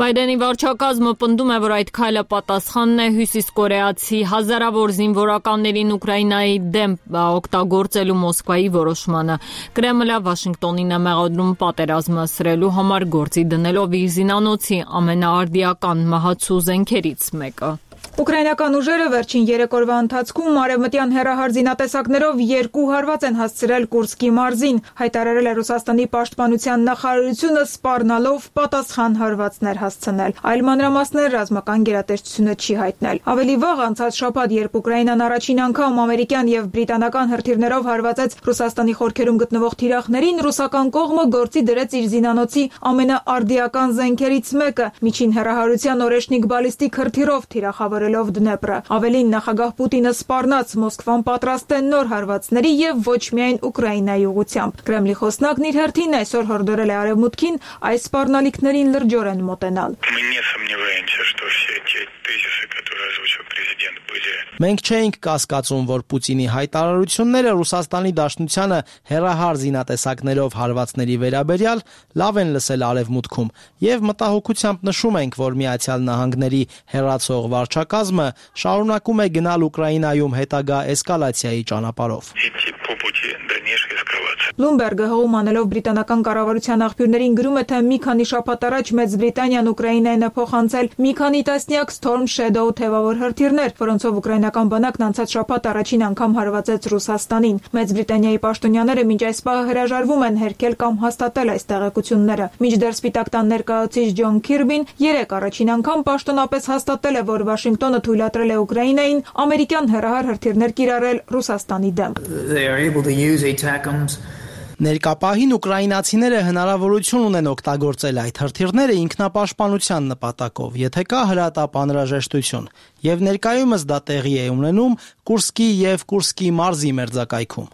Բայդենի վարչակազմը պնդում է, որ այդ քայլը պատասխանն է հյուսիսկորեացի հազարավոր զինվորականներին Ուկրաինայի դեմ օգտագործելու Մոսկվայի որոշմանը։ Կրեմլը Վաշինգտոնին է մեղադրում պատերազմը սրելու համար, գործի դնելով իր զինանոցի ամենաարդիական մահացու զենքերից մեկը։ Ուկրաինական ուժերը վերջին 3 օրվա ընթացքում արևմտյան հեռահար զինատեսակներով 2 հարված են հասցրել Կուրսկի մարզին, հայտարարել է Ռուսաստանի պաշտպանության նախարարությունը, սպառնալով պատասխան հարվածներ հասցնել։ Այլ մանրամասներ ռազմական գերատեսչությունը չի հայտնել։ Ավելի վաղ անցած շաբաթ, երբ Ուկրաինան առաջին անգամ ամերիկյան եւ բրիտանական հրթիռներով հարվածեց Ռուսաստանի խորքերում գտնվող թիրախներին, ռուսական կողմը գործի դրեց իր զինանոցի ամենաարդիական զենքերից մեկը՝ միջին հեռահարության օրեշնիկ բալիստիկ հրթիռով թիրախավորելով Դնեպրը։ Ավելին, նախագահ Պուտինը սպառնաց Մոսկվան պատրաստ է նոր հարվածների եւ ոչ միայն Ուկրաինայի ուղղությամբ։ Կրեմլի խոսնակն իր հերթին այսօր հորդորել է Արևմուտքին այս սպառնալիքներին լրջորեն մոտենալ։ Մենք չէինք կասկածում, որ Պուտինի հայտարարությունները Ռուսաստանի Դաշնությանը հեռահար զինատեսակներով հարվածների վերաբերյալ լավ են լսել Արևմուտքում եւ մտահոգությամբ նշում ենք, որ Միացյալ Նահանգների հեռացող վարչակազմը շարունակում է գնալ Ուկրաինայում հետագա էսկալացիայի ճանապարհով։ Բլումբերգը հողում անելով բրիտանական կառավարության աղբյուրներին գրում է, թե մի քանի շաբաթ առաջ Մեծ Բրիտանիան Ուկրաինային է փոխանցել մի քանի տասնյակ Storm Shadow թևավոր հրթիռներ, որոնցով ուկրաինական բանակն անցած շաբաթ առաջին անգամ հարվածեց Ռուսաստանին։ Մեծ Բրիտանիայի պաշտոնյաները մինչ այս պահը հրաժարվում են հերքել կամ հաստատել այս տեղեկությունները։ Մինչդեռ Սպիտակ տան ներկայացուցիչ Ջոն Քիրբին 3 առաջին անգամ պաշտոնապես հաստատել է, որ Վաշինգտոնը թույլատրել է Ուկրաինային ամերիկյան հեռահար հրթիռներ կիրառել Ռուսաստանի դեմ։ Ներկապահին ուկրաինացիները հնարավորություն ունեն օգտագործել այդ հրթիռները ինքնապաշտպանության նպատակով, եթե կա հրատապ անհրաժեշտություն, եւ ներկայումս դա տեղի է ունենում Կուրսկի եւ Կուրսկի մարզի մերձակայքում։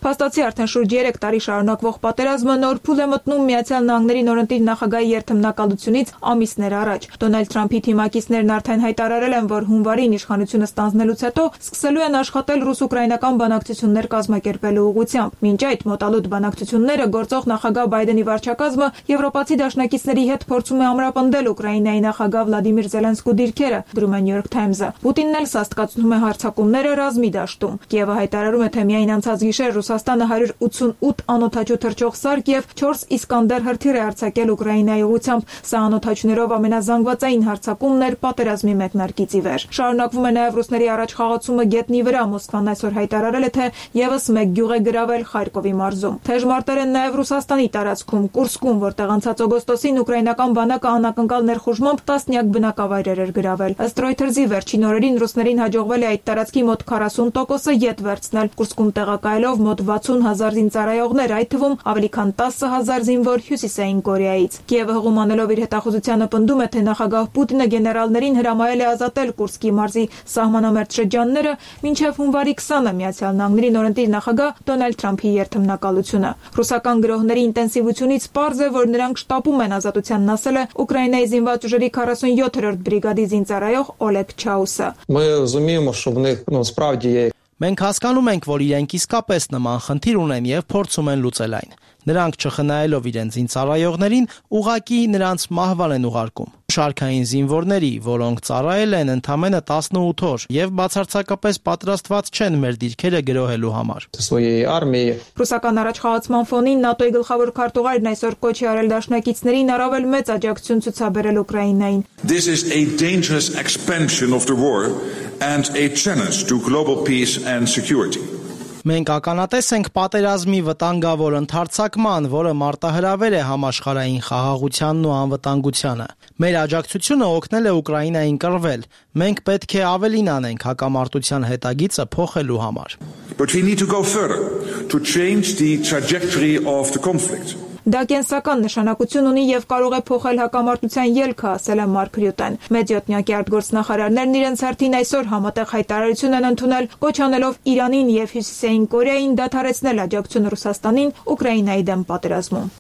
Փաստացի արդեն շուրջ 3 տարի շարունակվող պատերազմը նոր փուլ է մտնում Միացյալ Նահանգների նորընտիր նախագահի երթմնակալությունից ամիսներ առաջ։ Դոնալդ Թրամփի թիմակիցներն արդեն հայտարարել են, որ հունվարին իշխանությունը ստանձնելուց հետո սկսելու են աշխատել ռուս-ուկրաինական բանակցություններ կազմակերպելու ուղղությամբ։ Մինչ այդ մոտալուտ բանակցությունները գործող նախագահ Բայդենի վարչակազմը եվրոպացի դաշնակիցների հետ փորձում է ամրապնդել Ուկրաինայի նախագահ Վլադիմիր Զելենսկու դիրքերը, գրում է New York Times-ը։ Պուտինն էլ սաստկացնում է հարձակումները ռազմի դաշտում։ Կիևը հայտարարում է, թե միայն անցած գիշեր Ռուսաստանը 188 անօդաչու թռչող սարք եւ 4 Իսկանդեր հրթիռ է արձակել Ուկրաինայի ուղղությամբ։ Սա անօդաչուներով ամենազանգվածային հարձակումն էր պատերազմի մեկնարկից ի վեր։ Շարունակվում է նաեւ ռուսների առաջխաղացումը գետնի վրա։ Մոսկվան այսօր հայտարարել է, թե եւս մեկ գյուղ է գրավել Խարկովի մարզում։ Թեժ մարտեր են նաեւ Ռուսաստանի տարածքում, Կուրսկում, որտեղ անցած օգոստոսին ուկրաինական բանակը անակնկալ ներխուժմամբ տասնյակ բնակավայրեր էր գրավել։ Ըստ Reuters-ի վերջին օրերին ռուսներին հաջողվել է այդ տարածքի մոտ 40%-ը ետ վերցնել։ Կուրսկում տեղակայելով մոտ 60,000 զինծառայողներ, այդ թվում ավելի քան 10,000 զինվոր Հյուսիսային Կորեայից։ Կիևը հողում անելով իր հետախուզությանը պնդում է, թե նախագահ Պուտինը գեներալներին հրամայել է ազատել Կուրսկի մարզի սահմանամերձ շրջանները մինչև հունվարի 20-ը Միացյալ Նահանգների նորընտիր նախագահ Դոնալդ Թրամփի երթմնակալությունը։ Ռուսական գրողների ինտենսիվությունից պարզ է, որ նրանք շտապում են ազատությանն, ասել է Ուկրաինայի զինված ուժերի 47-րդ բրիգադի զինծառայող Օլեգ Չաուսը։ Մենք հասկանում ենք, որ իրենք իսկապես նման խնդիր ունեն եւ փորձում են լուծել այն։ Նրանք չխնայելով իրենց զինծառայողներին, ուղղակի նրանց մահվան են ուղարկում։ Շարքային զինվորների, որոնք ծառայել են ընդամենը 18 օր եւ բացարձակապես պատրաստված չեն մեր դիրքերը գրոհելու համար։ Ռուսական առաջխաղացման ֆոնին ՆԱՏՕ-ի գլխավոր քարտուղարն այսօր կոչ է արել դաշնակիցներին առավել մեծ աջակցություն ցուցաբերել Ուկրաինային։ This is a dangerous expansion of the war and a challenge to global peace and security. Մենք ականատես ենք պատերազմի վտանգավոր ընդարձակման, որը մարտահրավեր է համաշխարհային խաղաղությանն ու անվտանգությանը։ Մեր աջակցությունը օգնել է Ուկրաինային կռվել։ Մենք պետք է ավելին անենք հակամարտության հետագիծը փոխելու համար։ But we need to go further to change the trajectory of the conflict. Դա կենսական նշանակություն ունի եւ կարող է փոխել հակամարտության ելքը, ասել է Մարկ Ռյուտեն։ Մեծյոտնյակի արտգործնախարարներն իրենց հերթին այսօր համատեղ հայտարարություն են ընդունել, կոչ անելով Իրանին եւ Հյուսիսային Կորեային դադարեցնել աջակցությունը Ռուսաստանին Ուկրաինայի դեմ պատերազմում։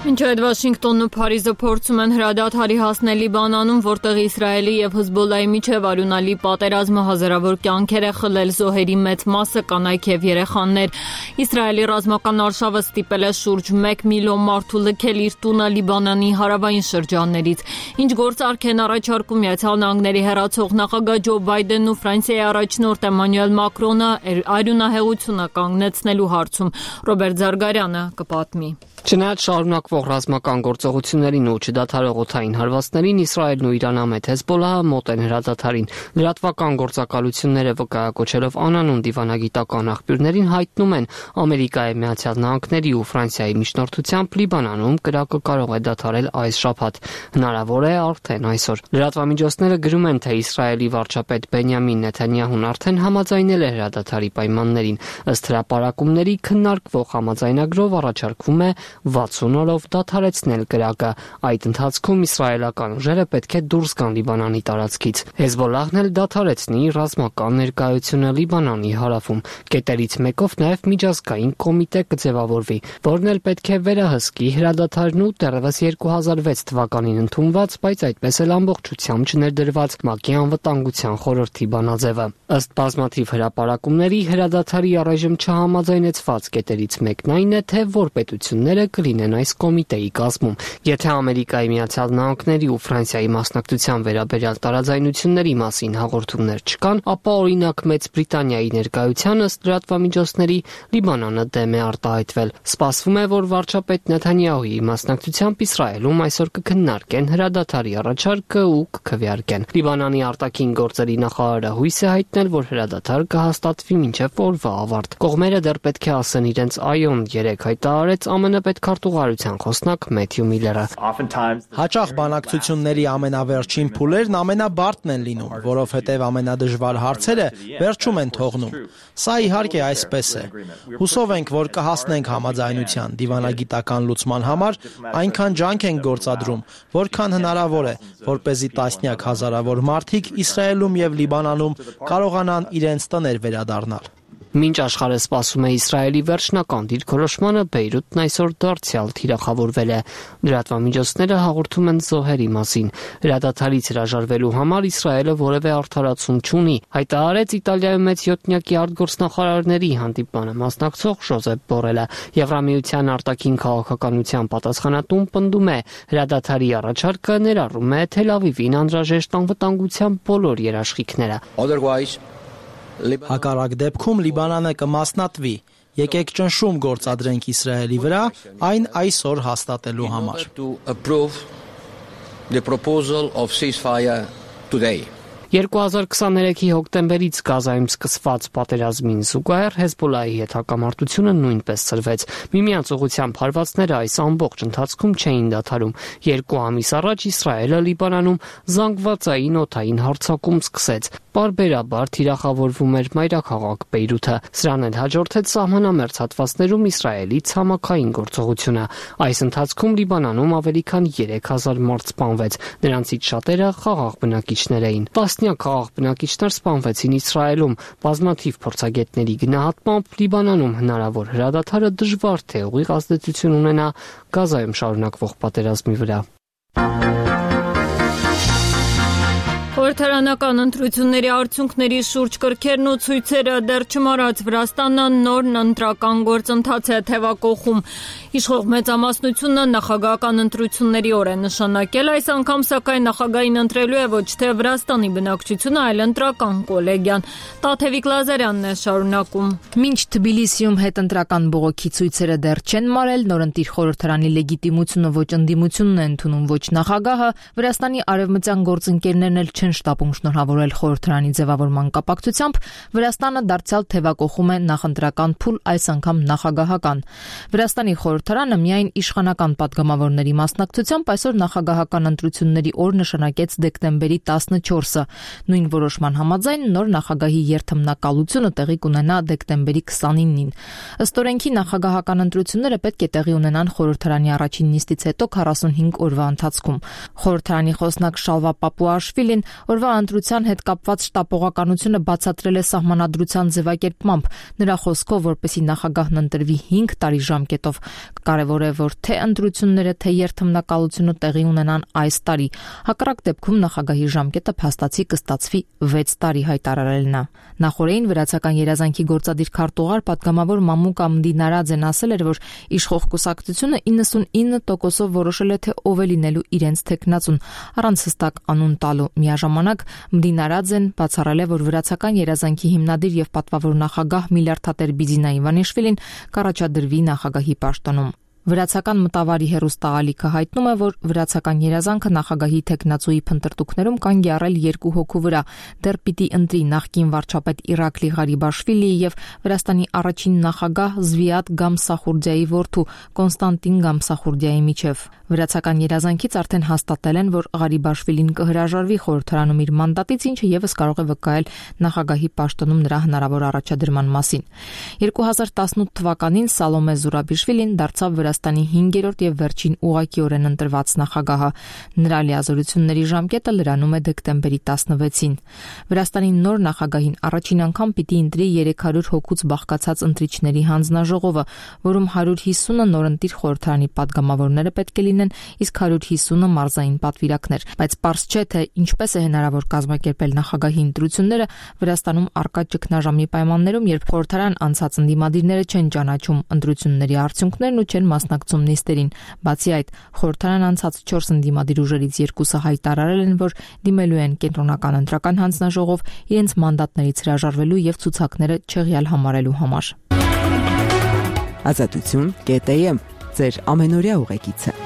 Մինչ այդ Վաշինգտոնն ու Փարիզը փորձում են հրադադարի հասնել Լիբանանում, որտեղ Իսրայելի եւ Հեզբոլլահի միջև արյունալի պատերազմը հազարավոր կյանքեր է խլել, զոհերի մեծ մասը կանայք եւ երեխաներ։ Իսրայելի ռազմական արշավը ստիպել է շուրջ 1 միլիոն մարդու լքել իր տունը Լիբանանի հարավային շրջաններից։ Ինչ գործարք են առաջարկում Միացյալ Նահանգների հեռացող նախագահ Ջո Բայդենն ու Ֆրանսիայի առաջնորդ Էմանուել Մակրոնը արյունահեղությունը կանգնեցնելու հարցում։ Ռոբերտ Զարգարյանը կպատմի։ Չնայած շարունակվող ռազմական գործողություններին ու չդադարող օդային հարվածներին, Իսրայելն ու Իրանամետ Հեզբոլլահը մոտ են հրադադարին։ Լրատվական գործակալությունները վկայակոչելով անանուն դիվանագիտական աղբյուրներին հայտնում են, Ամերիկայի Միացյալ Նահանգների ու Ֆրանսիայի միջնորդությամբ Լիբանանում կրակը կարող է դադարել այս շաբաթ։ Հնարավոր է արդեն այսօր։ Լրատվամիջոցները գրում են, թե Իսրայելի վարչապետ Բենյամին Նեթանյահուն արդեն համաձայնել է հրադադարի պայմաններին։ Ըստ հրապարակումների քննարկվող համաձայնագրով առաջարկվում է 60 օրով դադարեցնել կրակը։ Այդ ընթացքում իսրայելական ուժերը պետք է դուրս գան Լիբանանի տարածքից։ Հեզբոլլահն էլ դադարեցնի ռազմական ներկայությունը Լիբանանի հարավում։ Կետերից մեկով նաև միջազգային կոմիտե կձևավորվի, որն էլ պետք է վերահսկի հրադադարն ու դեռևս 2006 թվականին ընդունված, բայց այդպես էլ ամբողջությամբ չներդրված ՄԱԿ-ի անվտանգության խորհրդի բանաձևը։ Ըստ բազմաթիվ հրապարակումների հրադադարի առայժմ չհամաձայնեցված կետերից մեկն այն է, թե որ պետությունները կլինեն այս կոմիտեի կազմում։ Եթե Ամերիկայի Միացյալ Նահանգների ու Ֆրանսիայի մասնակցության վերաբերյալ տարաձայնությունների մասին հաղորդումներ չկան, ապա օրինակ Մեծ Բրիտանիայի ներկայության ըստ լրատվամիջոցների Լիբանանը դեմ է արտահայտվել։ Սպասվում է, որ վարչապետ Նեթանյահուի մասնակցությամբ Իսրայելում այսօր կքննարկեն հրադադարի առաջարկը ու կքվեարկեն։ Լիբանանի արտաքին գործերի նախարարը հույս է հայտնել, որ հրադադար կհաստատվի մինչև օրվա ավարտ։ Կողմերը դեռ պետք է ասեն իրենց այոն, երեք հայտարարեց ԱՄՆ պետքարտուղարության խոսնակ Մեթյու Միլլերը։ Հաճախ բանակցությունների ամենավերջին փուլերն ամենաբարդն են լինում, որովհետև ամենադժվար հարցերը վերջում են թողնում։ Սա իհարկե այսպես է։ Հուսով ենք, որ կհասնենք համաձայնության դիվանագիտական լուծման համար, այնքան ջանք ենք գործադրում, որքան հնարավոր է, որպեսզի տասնյակ հազարավոր մարդիկ Իսրայելում եւ Լիբանանում կարողանան իրենց տներ վերադառնալ։ Մինչ աշխարհը սպասում է Իսրայելի վերջնական դիրքորոշմանը, Բեյրութն այսօր դարձյալ թիրախավորվել է։ Լրատվամիջոցները հաղորդում են զոհերի մասին։ Հրադադարից հրաժարվելու համար Իսրայելը որևէ արդարացում չունի, հայտարարեց Իտալիայում մեծյոտնյակի արտգործնախարարների հանդիպմանը մասնակցող Ժոզեփ Բորելը։ Եվրամիության արտաքին քաղաքականության պատասխանատուն պնդում է, հրադադարի առաջարկը ներառում է Թել Ավիվին անհրաժեշտ անվտանգության բոլոր երաշխիքները։ Հակառակ դեպքում Լիբանանը կմասնատվի։ Եկեք ճնշում գործադրենք Իսրայելի վրա, այն այսօր հաստատելու համար։ 2023-ի հոկտեմբերից Գազայում սկսված պատերազմին զուգահեռ Հեզբոլլահի հետ հակամարտությունը նույնպես սրվեց։ Միմյանց ուղղությամբ հարվածները այս ամբողջ ընթացքում չէին դադարում։ 2 ամիս առաջ Իսրայելը Լիբանանում զանգվածային օդային հարձակում սկսեց։ Պարբերաբար թիրախավորվում էր մայրաքաղաք Բեյրութը։ Սրան էլ հաջորդեց սահմանամերձ հատվածներում Իսրայելի ցամաքային գործողությունը։ Այս ընթացքում Լիբանանում ավելի քան 3000 մարդ սպանվեց։ Նրանցից շատերը խաղաղ բնակիչներ էին։ Տասնյակ խաղաղ բնակիչներ սպանվեցին Իսրայելում։ Բազմաթիվ փորձագետների գնահատմամբ Լիբանանում հնարավոր հրադադարը դժվար թե ուղիղ ազդեցություն ունենա Գազայում շարունակվող պատերազմի վրա։ Խորհրդարանական ընտրությունների արդյունքների շուրջ կրքերն ու ցույցերը դեռ չմարած Վրաստանը նոր ընտրական գործընթաց է թևակողում։ Իշխող մեծամասնությունը նախագահական ընտրությունների օր է նշանակել, այս անգամ սակայն նախագահին ընտրելու է ոչ թե Վրաստանի բնակչությունը, այլ ընտրական կոլեգիան։ Տաթևիկ Լազարյանն է շարունակում։ Մինչ Թբիլիսիում հետընտրական բողոքի ցույցերը դեռ չեն մարել, նորընտիր խորհրդարանի լեգիտիմությունը ոչ ընդդիմությունն է ընդունում, ոչ նախագահը, Վրաստանի արևմտյան գործընկերներն էլ չեն շտաբում շնորհավորել խորհրդարանի ձևավորման կապակցությամբ, Վրաստանը դարձյալ թևակողում է նախընտրական փուլ, այս անգամ նախագահական։ Վրաստանի խորհրդարանը միայն իշխանական պատգամավորների մասնակցությամբ այսօր նախագահական ընտրությունների օր նշանակեց դեկտեմբերի 14-ը։ Նույն որոշման համաձայն նոր նախագահի երթմնակալությունը տեղի կունենա դեկտեմբերի 29-ին։ Ըստ օրենքի նախագահական ընտրությունները պետք է տեղի ունենան խորհրդարանի առաջին նիստից հետո 45 օրվա ընթացքում։ Խորհրդարանի խոսնակ Շալվա Պապուաշվիլին օրվա ընտրության հետ կապված շտապողականությունը բացատրել է սահմանադրության ձևակերպմամբ։ Նրա խոսքով, որպեսզի նախագահն ընտրվի 5 տարի ժամկետով, կարևոր է, որ թե ընտրությունները, թե երթմնակալությունը տեղի ունենան այս տարի։ Հակառակ դեպքում նախագահի ժամկետը փաստացի կստացվի 6 տարի, հայտարարել նա։ Նախորդին վրացական երազանքի գործադիր քարտուղար պատգամավոր Մամուկա Մդինարաձեն ասել էր, որ իշխող կուսակցությունը 99%-ով որոշել է, թե ով է լինելու իրենց թեկնածուն, առանց հստակ անուն տալու։ Միաժամանակ Մդինարաձեն բացառել է, որ վրացական երազանքի հիմնադիր եւ պատվավոր նախագահ Միլարդատեր Բիձինա Իվանիշվիլին կառաջադրվի նախագահի պաշտոնում։ Վրացական մտավարի հեռուստաալիքը հայտնում է, որ վրացական երազանքը նախագահի թեկնածուի փնտրտուքներում կանգ է առել 2 հոգու վրա։ Դեռ պիտի ընտրի նախկին վարչապետ Իրակլի Ղարիբաշվիլիի եւ Վրաստանի առաջին նախագահ Զվիատ Գամսախուրդիայի որդու Կոնստանտին Գամսախուրդիայի միջև։ Վրացական երազանքից արդեն հաստատել են, որ Ղարիբաշվիլին կհրաժարվի խորհրդարանում իր մանդատից, ինչը եւս կարող է վկայել նախագահի պաշտոնում նրա հնարավոր առաջադրման մասին։ 2018 թվականին Սալոմե Զուրաբիշվիլին դարձավ Վրաստանի 5-րդ եւ վերջին ուղղակիորեն ընտրված նախագահը։ Նրա լիազորությունների ժամկետը լրանում է դեկտեմբերի 16-ին։ Վրաստանի նոր նախագահին առաջին անգամ պիտի ընտրի 300 հոգուց բաղկացած ընտրիչների հանձնաժողովը, որում 150-ը նորընտիր խորհրդարանի падգամավորները պետք է լինեն, իսկ 150-ը մարզային պատվիրակներ։ Բայց պարզ չէ, թե ինչպես է հնարավոր կազմակերպել նախագահի ընտրությունները Վրաստանում առկա ճգնաժամի պայմաններում, երբ խորհրդարան անցած ընդդիմադիրները չեն ճանաչում ընտրությունների արդյունքներն ու չեն մասնակցում նիստերին։ Բացի այդ, խորհրդարան անցած 4 ընդդիմադիր ուժերից 2-ը հայտարարել են, որ դիմելու են կենտրոնական ընտրական հանձնաժողով իրենց մանդատներից հրաժարվելու եւ ցուցակները չեղյալ համարելու համար։ Ազատություն.am ձեր ամենօրյա ուղեկիցը։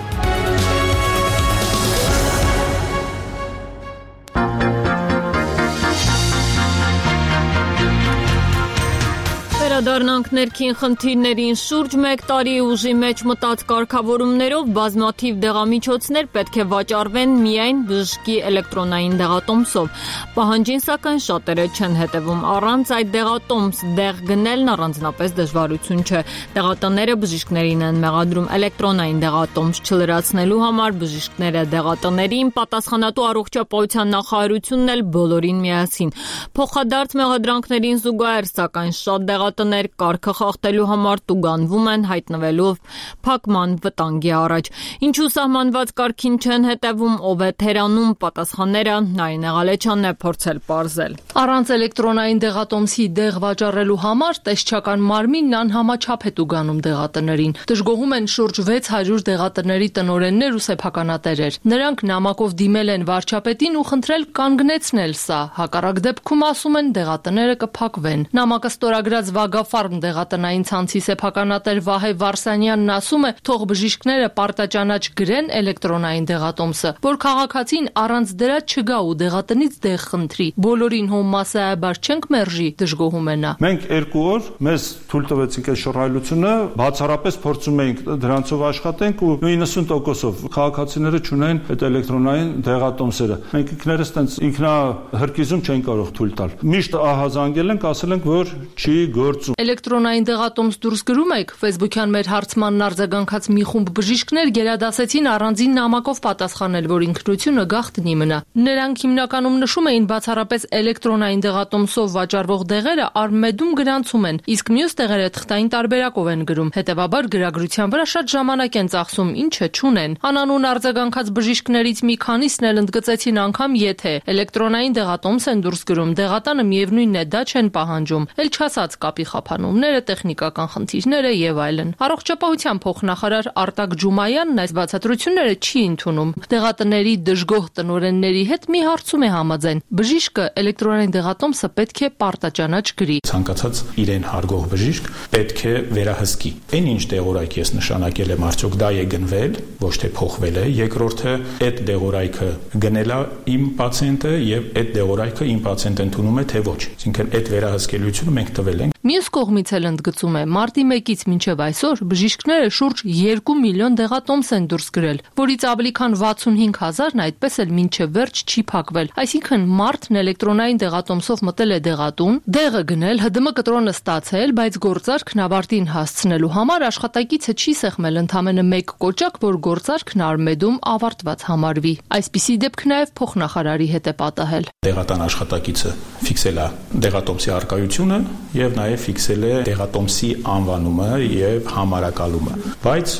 Վերադառնանք ներքին խնդիրներին շուրջ 1 տարի ուժի մեջ մտած կարգավորումներով բազմաթիվ դեղամիջոցներ պետք է վաճառվեն միայն բժշկի էլեկտրոնային դեղատոմսով։ Պահանջին սակայն շատերը չեն հետևում։ Առանց այդ դեղատոմս դեղ գնելն առանձնապես դժվարություն չէ։ Դեղատները բժիշկներին են մեղադրում էլեկտրոնային դեղատոմս չլրացնելու համար։ Բժիշկները դեղատներին, պատասխանատու առողջապահության նախարարությունն էլ բոլորին միասին։ Փոխադարձ մեղադրանքներին զուգահեռ սակայն շատ դեղատներ կարգը խախտելու համար տուգանվում են, հայտնվելով փակման վտանգի առաջ։ Ինչու սահմանված կարգին չեն հետևում, ով է թերանում պատասխանները Նարինե Ղալեչյանն է փորձել պարզել։ Առանց էլեկտրոնային դեղատոմսի դեղ վաճառելու համար տեսչական մարմինն անհամաչափ է տուգանում դեղատներին։ Դժգոհում են շուրջ 600 դեղատների տնօրեններ ու սեփականատերեր։ Նրանք նամակով դիմել են վարչապետին ու խնդրել կանգնեցնել սա։ Հակառակ դեպքում ասում են դեղատները կփակվեն։ Նամակը ստորագրած Վագաֆարմ դեղատնային ցանցի սեփականատեր Վահե Վարսանյանն ասում է, թող բժիշկները պարտաճանաչ գրեն էլեկտրոնային դեղատոմսը, որ քաղաքացին առանց դրա չգա ու դեղատնից դեղ խնդրի։ Բոլորին հոմասայաբար չենք մերժի, դժգոհում է նա։ Մենք 2 օր մեզ թույլ տվեցինք այդ շռայլությունը, բացառապես փորձում էինք դրանցով աշխատենք ու 90%-ով քաղաքացիները չունեն այդ էլեկտրոնային դեղատոմսերը։ Մենք ինքներս տենց ինքնահրկիզում չենք կարող թույլ տալ։ Միշտ ահազանգել ենք, ասել ենք, որ չի գործում։ Էլեկտրոնային դեղատոմս դուրս գրում եք, Facebook-յան մեր հարցմանն արձագանքած մի խումբ բժիշկներ գերադասեցին առանձին նամակով պատասխանել, որ ինքնությունը գաղտնի մնա։ Նրանք հիմնականում նշում էին բացառապես էլեկտրոնային դեղատոմսով վաճառվող դեղերը Արմեդում գրանցում են, իսկ մյուս դեղերը թղթային տարբերակով են գրում։ Հետևաբար գրագրության վրա շատ ժամանակ են ծախսում, ինչը չունեն։ Անանուն արձագանքած բժիշկներից մի քանիսն էլ ընդգծեցին անգամ եթե էլեկտրոնային դեղատոմս են դուրս գրում, դեղատանը միևնույնն է դա չեն պահանջում։ Էլ չասած կապի ջրափի խափանումները, տեխնիկական խնդիրները եւ այլն։ Առողջապահության փոխնախարար Արտակ Ջումայանն այս բացատրությունները չի ընդունում։ Դեղատների դժգոհ տնօրենների հետ մի հարցում է համաձայն։ Բժիշկը էլեկտրոնային դեղատոմսը պետք է պարտաճանաչ գրի։ Ցանկացած իրեն հարգող բժիշկ պետք է վերահսկի։ Այն ինչ դեղորայք ես նշանակել եմ, արդյոք դա է գնվել, ոչ թե փոխվել է։ Երկրորդը, այդ դեղորայքը գնել է իմ պացիենտը եւ այդ դեղորայքը իմ պացիենտը ընդունում է թե ոչ։ Այսինքն այդ վերահսկելիությունը մենք տվել ենք։ Մյուս կողմից էլ ընդգծում է, մարտի 1-ից մինչև այսօր բժիշկները շուրջ 2 միլիոն դեղատոմս են դուրս գրել, որից ավելի քան 65,000-ն այդպես էլ մինչև վերջ չի փակվել։ Այսինքն մարդն էլեկտրոնային դեղատոմսով մտել է դեղատուն, դեղը գնել, ՀԴՄ կտրոնը ստացել, բայց գործարքն ավարտին հասցնելու համար աշխատակիցը չի սեղմել ընդամենը 1 կոճակ, որ գործարքն Արմեդում ավարտված համարվի։ Այսպիսի դեպք նաև փոխնախարարի հետ է պատահել։ Դեղատան աշխատակիցը ֆիքսել է դեղատոմսի առկայությունը եւ նաև ֆիքսել է դեղատոմսի անվանումը եւ համարակալումը, բայց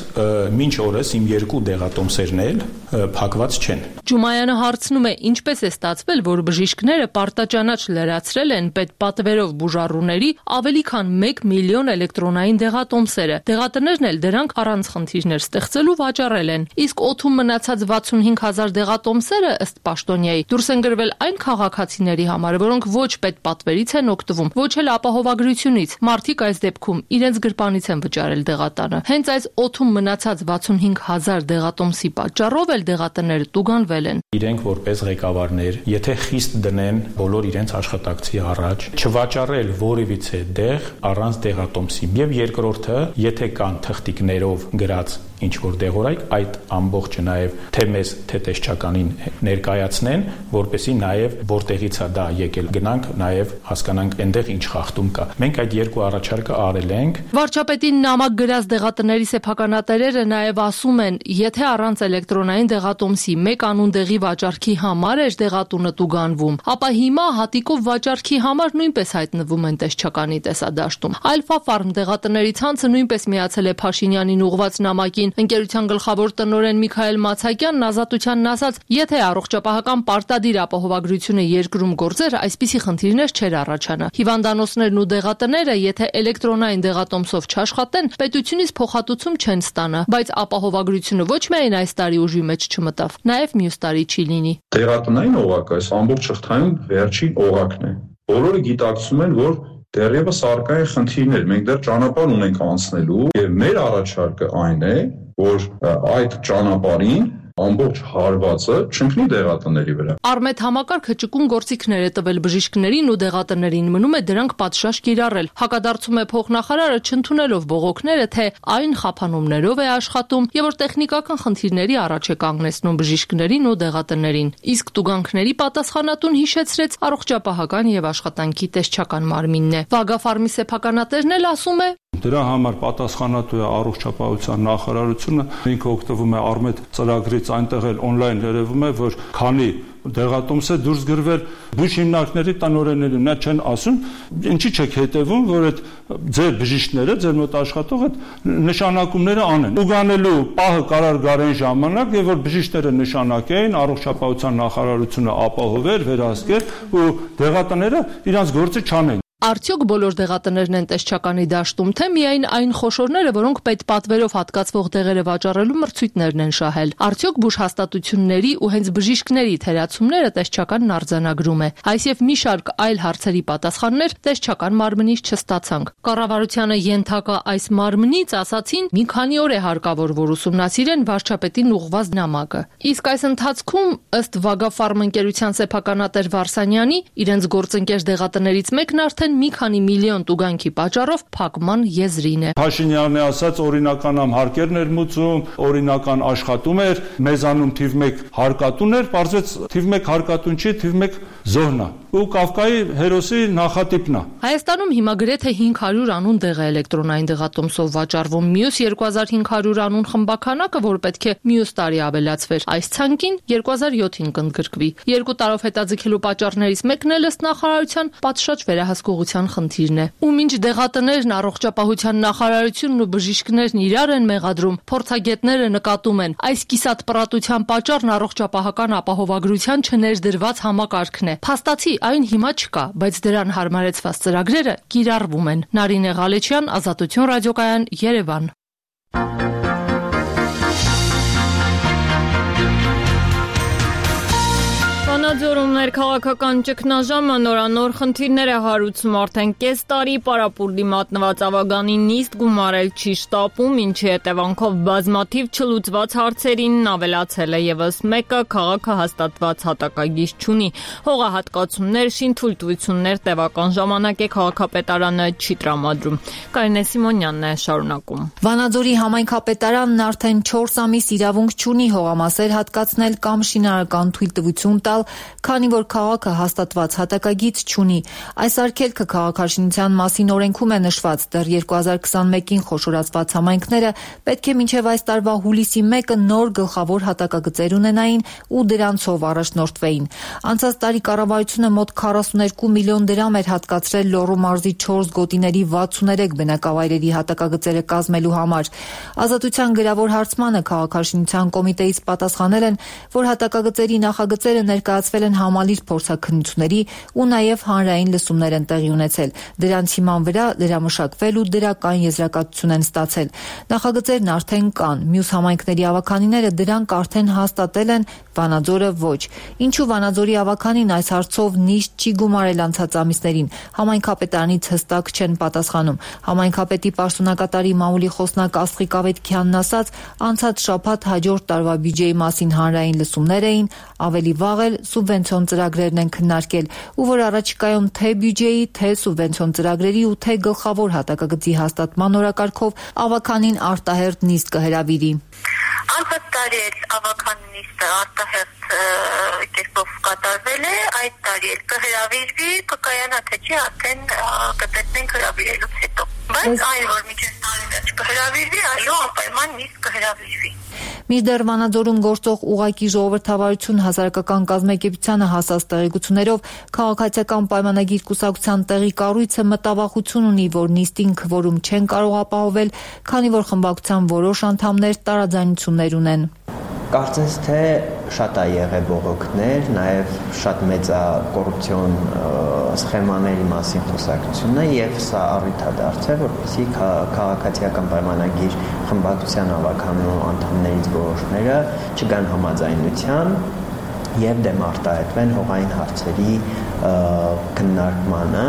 մինչ օրս իմ 2 դեղատոմսերն էլ փակված չեն։ Ջումայանը հարցնում է, ինչպես է ստացվել, որ բժիշկները պարտաճանաչ լրացրել են պետպատվերով բուժառուների ավելի քան 1 միլիոն էլեկտրոնային դեղատոմսերը։ Դեղատներն էլ դրանք առանց խնդիրներ ստեղծելու վաճառել են։ Իսկ օդում մնացած 65,000 դեղատոմսերը ըստ պաշտոնյայի դուրս են գրվել այն քաղաքացիների համար, որոնք ոչ պետպատվերից են օգտվում, ոչ էլ ապահովագրությունից։ Մարդիկ այս դեպքում իրենց գրպանից են վճարել դեղատանը։ Հենց այս օդում մնացած 65,000 դեղատոմսի պատճառով էլ դեղատները տուգանվել են։ Իրենք որպես ղեկավարներ, եթե խիստ դնեն բոլոր իրենց աշխատակցի առաջ, չվաճառել որևիցե դեղ առանց դեղատոմսի։ Եվ երկրորդը, եթե կան թղթիկներով գրած ինչ որ դեղորայք, այդ ամբողջը նաև թե մեզ, թե տեսչականին ներկայացնեն, որպեսզի նաև որտեղից է դա եկել, գնանք նաև հասկանանք այնտեղ ինչ խախտում կա։ Մենք այդ 2 առաջարկը արել ենք։ Վարչապետին նամակ գրած դեղատների սեփականատերերը նաև ասում են, եթե առանց էլեկտրոնային դեղատոմսի 1 անուն դեղի վաճառքի համար էր դեղատունը տուգանվում, ապա հիմա հատիկով վաճառքի համար նույնպես հայտնվում են տեսչականի տեսադաշտում։ Alpha Farm դեղատների ցանցը նույնպես միացել է Փաշինյանին ուղղված նամակին։ Ընկերության գլխավոր տնօրեն Միքայել Մացակյանն Ազատությանն ասաց, եթե առողջապահական պարտադիր ապահովագրությունը երկրում գործեր, այսպիսի խնդիրներ չէր առաջանա։ Հիվանդանոցներն ու դեղատները, եթե էլեկտրոնային դեղատոմսով չաշխատեն, պետությունից փոխհատուցում չեն ստանա, բայց ապահովագրությունը ոչ միայն այս տարի ուժի մեջ չմտավ, նաև մյուս տարի չի լինի։ Դեղատնային օղակը այս ամբողջ շղթայում վերջին օղակն է։ Բոլորը գիտակցում են, որ դեռևս առկա են խնդիրներ, մենք դեռ ճանապարհ ունենք անցնելու եւ մեր առաջարկը այն է, որ այդ ճանապարհին ամբողջ հարվածը չընկնի դեղատների վրա։ Արմեդ համակարգը ճկուն գործիքներ է տվել բժիշկներին ու դեղատներին, մնում է դրանք պատշաճ կիրառել։ Հակադարձում է փոխնախարարը, չընդունելով բողոքները, թե այն խափանումներով է աշխատում եւ որ տեխնիկական խնդիրների առաջ է կանգնեցնում բժիշկներին ու դեղատներին։ Իսկ տուգանքների պատասխանատուն հիշեցրեց առողջապահական եւ աշխատանքի տեսչական մարմինն է։ Վագաֆարմի սեփականատերն էլ ասում է, Դրա համար պատասխանատու է առողջապահության նախարարությունը, ինքը օգտվում է Արմեդ ծրագրից, այնտեղ էլ on-line երևում է, որ քանի դեղատոմս է դուրս գրվել բուժ հիմնարկների տնօրեններին, նա չեն ասում, ինչի չեք հետևում, որ այդ ձեր բժիշկները, ձեր մոտ աշխատող այդ նշանակումները անեն։ Ուղանելու պահը կարար գար այն ժամանակ, եւ որ բժիշկները նշանակեին, առողջապահության նախարարությունը ապահովեր, վերահսկեր ու դեղատները իրանց գործը չանեն։ Արդյոք բոլոր դեղատներն են տեսչականի դաշտում, թե միայն այն խոշորները, որոնք պետպատվերով հատկացվող դեղերը վաճառելու մրցույթներն են շահել։ Արդյոք բուժհաստատությունների ու հենց բժիշկների թերացումները տեսչականն արձանագրում է։ Այս եւ մի շարք այլ հարցերի պատասխաններ տեսչական մարմնից չստացանք։ Կառավարությանը ենթակա այս մարմնից ասացին, մի քանի օր է հարկավոր, որ ուսումնասիրեն վարչապետին ուղղված նամակը։ Իսկ այս ընթացքում, ըստ Վագաֆարմ ընկերության սեփականատեր Վարսանյանի, իրենց գործընկեր դեղատներից մեկն արդեն մի քանի միլիոն տուգանքի պատճառով փակման եզրին է։ Փաշինյանը ասաց օրինական հարկերն էր մուծում, օրինական աշխատում էր, մեզանում թիվ 1 հարկատուն էր, պարզվեց թիվ 1 հարկատուն չի, թիվ 1 զոհն է։ Ու Կավկայի հերոսի նախատիպն է։ Հայաստանում հիմա գրեթե 500 անուն դեղ է էլեկտրոնային դեղատոմսով վաճառվում, մյուս 2500 անուն խմբականակը, որ պետք է մյուս տարի ավելացվեր, այս ցանկին 2007-ին կընդգրկվի։ 2 տարով հետաձգելու պատճառներից մեկն էլ ըստ նախարարության պատշաճ վերահսկողություն գործողության խնդիրն է։ Ու մինչ դեղատներն, առողջապահության նախարարությունն ու բժիշկներն իրար են մեղադրում, փորձագետները նկատում են, այս կիսատպռատության պատճառն առողջապահական ապահովագրության չներդրված համակարգն է։ Փաստացի այն հիմա չկա, բայց դրան հարմարեցված ծրագրերը կիրառվում են։ Նարինե Ղալեչյան, Ազատություն ռադիոկայան, Երևան։ Վանաձորում ներքաղաքական ճգնաժամը նորանոր խնդիրներ է հարուցում արդեն կես տարի պարապուրդի մատնված ավագանին նիստ գումարել չի շտապում, ինչի հետևանքով բազմաթիվ չլուծված հարցերին ավելացել է եւս մեկը քաղաքը հաստատված հատակագիր չունի։ Հողահատկացումներ, շինթույլտվություններ տևական ժամանակ է քաղաքապետարանը չի տրամադրում։ Կարինե Սիմոնյանն է շարունակում։ Վանաձորի համայնքապետարանն արդեն 4 ամիս իրավունք չունի հողամասեր հատկացնել կամ շինարարական թույլտվություն տալ, քանի որ քաղաքը հաստատված հատակագիծ չունի։ Այս արգելքը քաղաքաշինության մասին օրենքում է նշված, դեռ 2021-ին խոշորացված համայնքները պետք է մինչև այս տարվա հուլիսի 1-ը նոր գլխավոր հատակագծեր ունենային ու դրանցով առաջնորդվեին։ Անցած տարի կառավարությունը մոտ 42 միլիոն դրամ էր հատկացրել Լոռու մարզի 4 գոտիների 63 բնակավայրերի հատակագծերը կազմելու համար։ Ազատության գրավոր հարցմանը քաղաքաշինության կոմիտեից պատասխանել են, որ հատակագծերի նախագծերը ներկայացվել են համալիր փորձաքննությունների ու նաև հանրային լսումներ են տեղի ունեցել։ Դրանց հիման վրա լրամշակվել ու դրական եզրակացություն են ստացել։ Նախագծերն արդեն կան, մյուս համայնքների ավականիները դրանք արդեն հաստատել են, Վանաձորը ոչ։ Ինչու Վանաձորի ավականին այս հարցով նիստ չի գումարել անցած ամիսներին, համայնքապետարանից հստակ չեն պատասխանում։ Համայնքապետի պաշտոնակատարի մամուլի խոսնակ Աստղիկ Ավետքյանն ասաց, անցած շաբաթ հաջորդ տարվա բյուջեի մասին հանրային լսումներ էին, ավելի վաղ էլ սուբվենցիոն ծրագրերն են քննարկել, ու որ առաջիկայում թե բյուջեի, թե սուբվենցիոն ծրագրերի ու թե գլխավոր հատակագծի հաստատման օրակարգով ավականին արտահերթ նիստ կհրավիրի։ Անցած տարի էլ ավական նիստը արտահերթ կերպով կատարվել է, այդ տարի էլ կհրավիրվի, կկայանա թե չի, արդեն կտեսնենք հրավիրելուց հետո։ Բայց այն, որ մինչև տարի վերջ կհրավիրվի, այո, անպայման նիստ կհրավիրվի։ Մինչդեռ Վանաձորում գործող ուղղակի ժողովրդավարություն հասարակական կազմակերպությանը հասած տեղեկություններով քաղաքացիական պայմանագիր կուսակցության տեղի կառույցը մտավախություն ունի, որ նիստին քվորում չեն կարող ապահովել, քանի որ խմբակցության որոշ անդամներ տարաձայնություններ ունեն։ Կարծես թե շատ է եղել բողոքներ, նաև շատ մեծ է կոռուպցիոն սխեմաների մասին խոսակցությունը եւ սա առիթ է դարձել, որպեսզի քաղաքացիական պայմանագիր խմբակցության ավականու անդամներից որոշները չգան համաձայնության եւ դեմ արտահայտվեն հողային հարցերի քննարկմանը,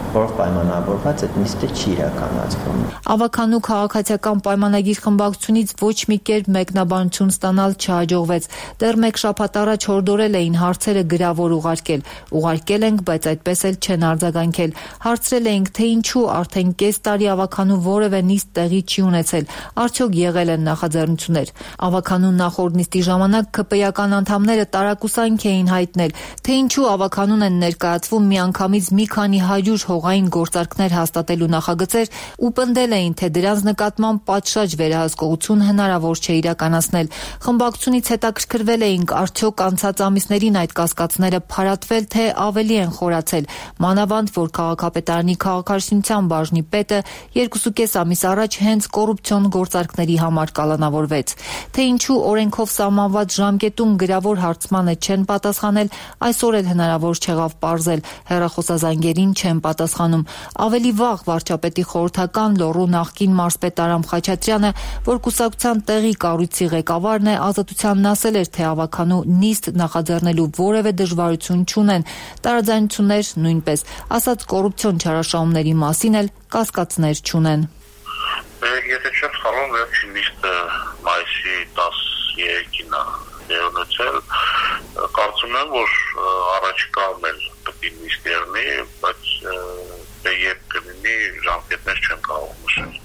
որով պայմանավորված այդ նիստը չի իրականացվում։ Ավականու քաղաքացիական պայմանագիր խմբակցությունից ոչ մի կերպ մեկնաբանություն ստանալ չհաջողվեց։ Դեռ մեկ շաբաթ առաջ հորդորել էին հարցերը գրավոր ուղարկել։ Ուղարկել ենք, բայց այդպես էլ չեն արձագանքել։ Հարցրել էինք, թե ինչու արդեն կես տարի ավականու որևէ նիստ տեղի չի ունեցել։ Արդյոք եղել են նախաձեռնություններ։ Ավականու նախորդ նիստի ժամանակ ԿՊ-ական անդամները տարակուսանք էին հայտնել, թե ինչու ավականուն են ներկայացվում միանգամից մի քանի 100 հողային գործարքներ հաստատելու նախագծեր ու պնդել էին, թե դրանց նկատմամբ պատշաճ վերահսկողություն հնարավոր չէ իրականացնել։ Խմբակցությունից հետաքրքրվել էինք, արդյոք անցած ամիսներին այդ կասկածները փարատվել, թե ավելի են խորացել։ Մանավանդ, որ քաղաքապետարանի քաղաքաշինության բաժնի պետը 2.5 ամիս առաջ հենց կոռուպցիոն գործարքների համար կալանավորվեց։ Թե ինչու օրենքով սահմանված ժամկետում գրավոր հարցմանը չեն պատասխանել, այսօր էլ հնարավոր չեղավ պարզել։ Հեռախոսազանգերին չեն պատասխանում։ Ավելի վաղ վարչապետի խորհրդական Լոռու նախկին մարզպետ Արամ Խաչատրյանը, որ կուսակցության տեղի կառույցի ղեկավարն է, Ազատությանն ասել էր, թե ավականու նիստ նախաձեռնելու որևէ դժվարություն չունեն։ Տարաձայնություններ նույնպես, ասած կոռուպցիոն չարաշահումների մասին էլ կասկածներ չունեն։ Եթե չեմ սխալվում, վերջին նիստը մայիսի 13-ին է ունեցել, կարծում եմ, որ առաջիկայում էլ պետք է նիստ եղնի, բայց երբ կլինի ժամկետներ չեմ կարող նշել։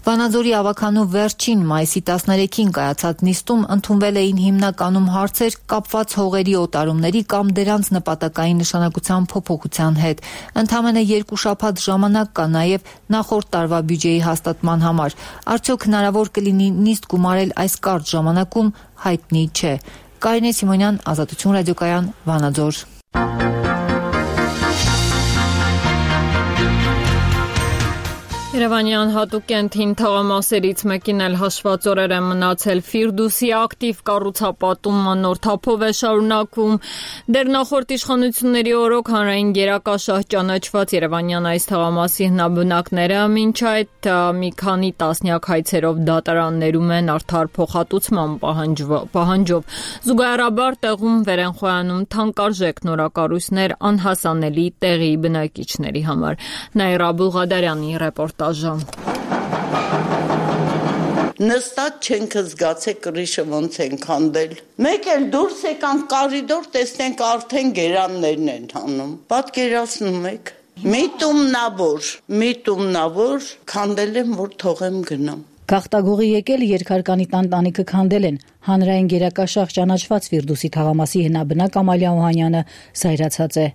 Վանաձորի ավականու վերջին մայիսի 13-ին կայացած նիստում ընդունվել էին հիմնականում հարցեր կապված հողերի օտարումների կամ դրանց նպատակային նշանակության փոփոխության հետ։ Ընդամենը 2 շաբաթ ժամանակ կա նաև նախորդ տարվա բյուջեի հաստատման համար։ Արդյոք հնարավոր կլինի նիստ գումարել այս կարճ ժամանակում, հայտնի չէ։ Կարինե Սիմոնյան, Ազատություն ռադիոկայան, Վանաձոր։ Երևանյան հատուկ կենտրոն թաղամասերից մեկին էլ հաշված օրեր են մնացել։ Ֆիրդուսի ակտիվ կառուցապատումը նոր թափով է շարունակվում։ Դեռ նախորդ իշխանությունների օրոք հանրային գերակաշահ ճանաչված Երևանյան այս թաղամասի հնաբնակները մինչ այդ մի քանի տասնյակ հայցերով դատարաններում են արդար փոխհատուցման պահանջով։ Զուգահեռաբար տեղում վեր են խոյանում թանկարժեք նորակառույցներ անհասանելի տեղի բնակիչների համար։ Նաիրա Բուղադարյանի ռեպորտաժը։ Նստած չենք զգացե կրիշը ոնց են քանդել։ Մեկ էլ դուրս եկանք կարիդոր, տեսնենք արդեն գերաններն են հանում։ Պատկերացնում եք։ Միտումնավոր քանդել եմ, որ թողեմ գնամ։ Գաղտագողի եկել երկհարկանի տանտանիքը քանդել են։ Հանրային գերակաշահ ճանաչված Ֆիրդուսի թաղամասի հնաբնակ Ամալիա Օհանյանը զայրացած է։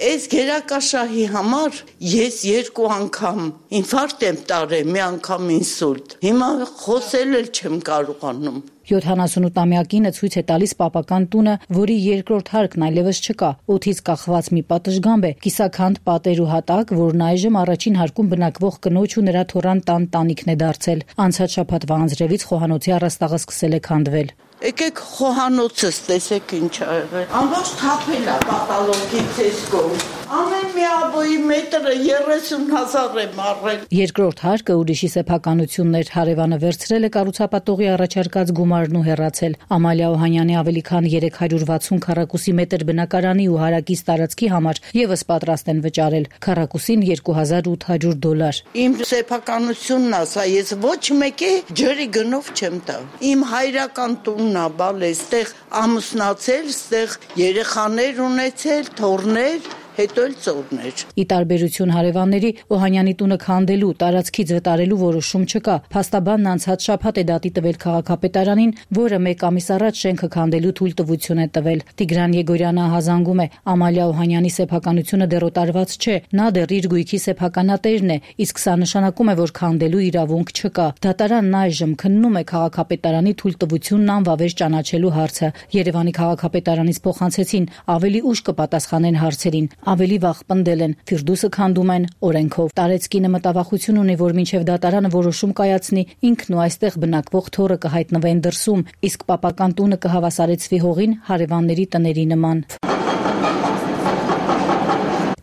Այս գերակաշահի համար ես 2 անգամ ինֆարկտ եմ տարել, մի անգամ ինսուլտ։ Հիմա խոսել էլ չեմ կարողանում։ 78-ամյակինը ցույց է տալիս պապական տունը, որի երկրորդ հարկն այլևս չկա։ Օդից կախված մի պատշգամբ է, կիսաքանդ պատեր ու հատակ, որն այժմ առաջին հարկում բնակվող կնոջ ու նրա թոռան տանտանիքն է դարձել։ Անցած շաբաթվա անձրևից խոհանոցի առաստաղը սկսել է քանդվել։ Եկեք խոհանոցս տեսեք ինչ ա եղել։ Ամբողջ թափել է պատալոգի ցեսկով։ Ամեն մի աբոյի մետրը 30,000 եմ առել։ Երկրորդ հարկը ուրիշի սեփականությունն էր, հարևանը վերցրել է կառուցապատողի առաջարկած գումարն ու հեռացել։ Ամալիա Օհանյանի ավելի քան 360 քառակուսի մետր բնակարանի ու հարակից տարածքի համար եւս պատրաստ են վճարել քառակուսին $2,800։ Իմ սեփականությունն է, սա ես ոչ մեկի ջրի գնով չեմ տա։ Իմ հայրական տունն է, բալ էստեղ ամուսնացել, ստեղ երեխաներ ունեցել, թոռներ, հետո էլ ծորներ։ Ի տարբերություն հարևանների, Օհանյանի տունը քանդելու, տարածքից վտարելու որոշում չկա։ Փաստաբանն անցած շաբաթ է դատի տվել քաղաքապետարանին, որը 1 ամիս առաջ շենքը քանդելու թույլտվություն է տվել։ Տիգրան Եգորյանը հազանգում է, Ամալիա Օհանյանի սեփականությունը դեռ օտարված չէ, նա դեռ իր գույքի սեփականատերն է, իսկ սա նշանակում է, որ քանդելու իրավունք չկա։ Դատարանն այժմ քննում է քաղաքապետարանի թույլտվությունն անվավեր ճանաչելու հարցը։ Երևանի քաղաքապետարանից փոխանցեցին, ավելի ուշ կպատասխանեն հարցերին։ Ավելի վաղ պնդել են, Ֆիրդուսը քանդում են օրենքով։ Տարեցկինը մտավախություն ունի, որ մինչև դատարանը որոշում կայացնի, ինքն ու այստեղ բնակվող թոռը կհայտնվեն դրսում, իսկ պապական տունը կհավասարեցվի հողին հարևանների տների նման։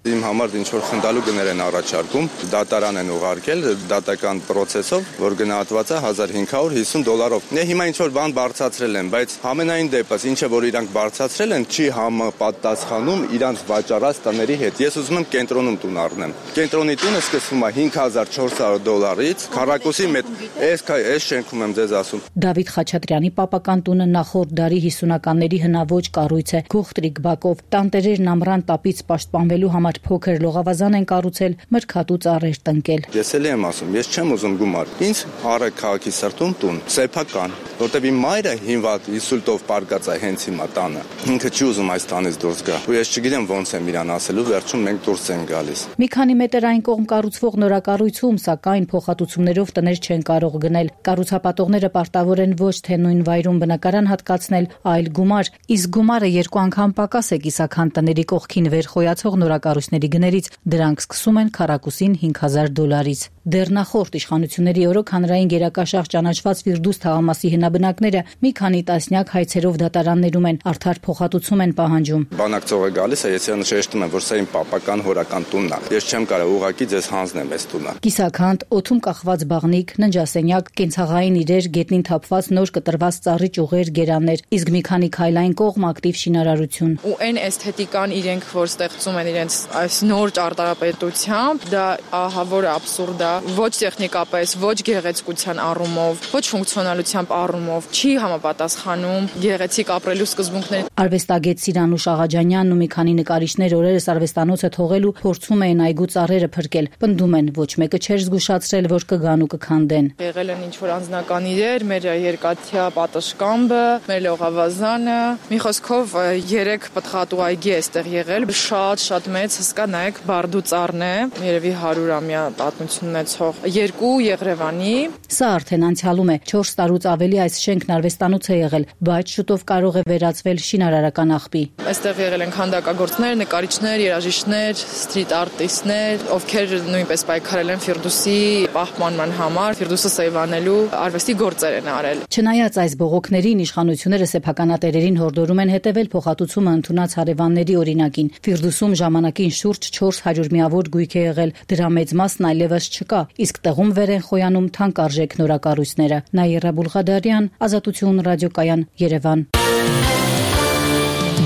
Իմ համար ինչ որ խնդալու գներ են առաջարկում, դատարան են ուղարկել դատական process-ով, որ գնահատված է $1,550։ Դե հիմա ինչ որ բան բարձրացրել են, բայց համենայն դեպս ինչը որ իրանք բարձրացրել են, չի համապատասխանում իրանք վաճառած տների հետ։ Ես ուզում եմ կենտրոնում տուն առնեմ։ Կենտրոնի տունը սկսվում է $5,400-ից, քառակուսի մետր։ Այս շենքում եմ ձեզ ասում։ Դավիթ Խաչատրյանի պապական տունը նախորդ դարի 50-ականների հնաոճ կառույց է, գողտրիկ բակով։ Տանտերերն ամռան տապից պաշտպանվելու համար փոքր լողավազան են կառուցել, մրգատու ծառեր տնկել։ Ես էլ եմ ասում, ես չեմ ուզում գումար։ Ինձ առը քաղաքի սրտում տուն, սեփական, որտեղ իմ մայրը հիմնված ինսուլտով պարկած է հենց հիմա տանը։ Ինքը չի ուզում այս տանից դուրս գա։ Ու ես չգիտեմ ոնց եմ իրան ասելու, վերջում մենք դուրս ենք գալիս։ Մի քանի մետր այն կողմ կառուցվող նորակառույցում, սակայն փոխհատուցումներով տներ չեն կարող գնել։ Կառուցապատողները պարտավոր են ոչ թե նույն վայրում բնակարան հատկացնել, այլ գումար, իսկ գումարը 2 անգամ պակաս է կիսաքան տների կողքին վեր խոյացող նորակառույցների գներից, դրանք սկսում են քառակուսին $5,000-ից։ Դեռ նախորդ իշխանությունների օրոք հանրային գերակաշահ ճանաչված Ֆիրդուս թաղամասի հնաբնակները մի քանի տասնյակ հայցերով դատարաններում են, արդար փոխհատուցում են պահանջում։ Բանակցողը գալիս է, ես նշեցնում եմ, որ սա իմ պապական հորական տունն է։ Ես չեմ կարող ուղղակի ձեզ հանձնեմ այս տունը։ Կիսաքանդ, օդում կախված բաղնիկ, ննջասենյակ, կենցաղային իրեր, գետնին թափված նոր կտրված ծառի ճյուղեր, գերաններ, իսկ մի քանի քայլային կողմ ակտիվ շինարարություն։ Ու այն էսթետիկան իրենք որ ստեղծում են իրենց այս նոր ճարտարապետությամբ, դա ահա որ աբսուրդ է, ոչ տեխնիկապես, ոչ գեղեցկության առումով, ոչ ֆունկցիոնալությամբ առումով, չի համապատասխանում գեղեցիկ ապրելու սկզբունքներին։ Արվեստագետ Սիրանուշ Աղաջանյանն ու մի քանի նկարիչներ օրերս արվեստանոցը թողելու փորձում էին այգու ծառերը փրկել։ Պնդում են, ոչ մեկը չէր զգուշացրել, որ կգան ու կքանդեն։ Եղել են ինչ-որ անձնական իրեր, մեր երկաթյա պատշգամբը, մեր լողավազանը, մի խոսքով 3 պտղատու այգի է այստեղ եղել, շատ մեծ, հսկա նայեք բարդու ծառն է, երևի 100-ամյա պատմությունն է կառուցող 2 Եղրևանի։ Սա արդեն անցյալում է 4 տարուց ավելի այս շենքն արվեստանոց է եղել, բայց շուտով կարող է վերածվել շինարարական աղբի։ Այստեղ եղել են քանդակագործներ, նկարիչներ, երաժիշտներ, սթրիթ արտիստներ, ովքեր նույնպես պայքարել են Ֆիրդուսի պահպանման համար, Ֆիրդուսը սեյվանելու արվեստի գործեր են արել։ Չնայած այս բողոքներին իշխանությունները սեփականատերերին հորդորում են հետևել փոխհատուցումը ընդունած հարևանների օրինակին։ Ֆիրդուսում ժամանակին շուրջ 400 միավոր գույք է եղել, դրա մեծ մասն այլևս չկա, իսկ տեղում վեր են խոյանում թանկարժեք նորակառույցները։ Նաիրա Բուլղադարյան, Ազատություն ռադիոկայան, Երևան։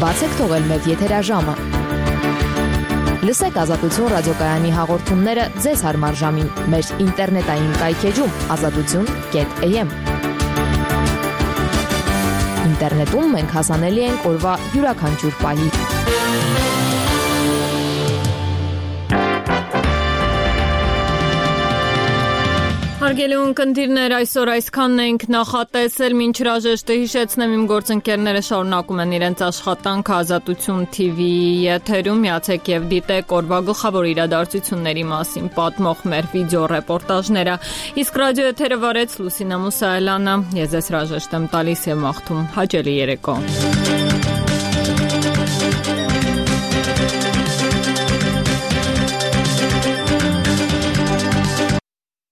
Բացեք թողել մեկ եթերաժամը։ Լսեք Ազատություն ռադիոկայանի հաղորդումները ձեզ հարմար ժամին մեր ինտերնետային կայքեջում azatutun.am։ Ինտերնետում մենք հասանելի ենք օրվա յուրաքանչյուր պահի։ Հարգելի ունկնդիրներ, այսօր այսքանն ենք նախատեսել, մինչ հրաժեշտը հիշեցնեմ իմ գործընկերները շարունակում են իրենց աշխատանքը Ազատություն TV-ի եթերում, միացեք եւ դիտեք օրվա գլխավոր իրադարձությունների մասին պատմող մեր վիդեո ռեպորտաժները, իսկ ռադիո եթերը վարեց Լուսինա Մուսայելյանը, ես ձեզ հրաժեշտ եմ տալիս եւ մաղթում հաճելի երեկո։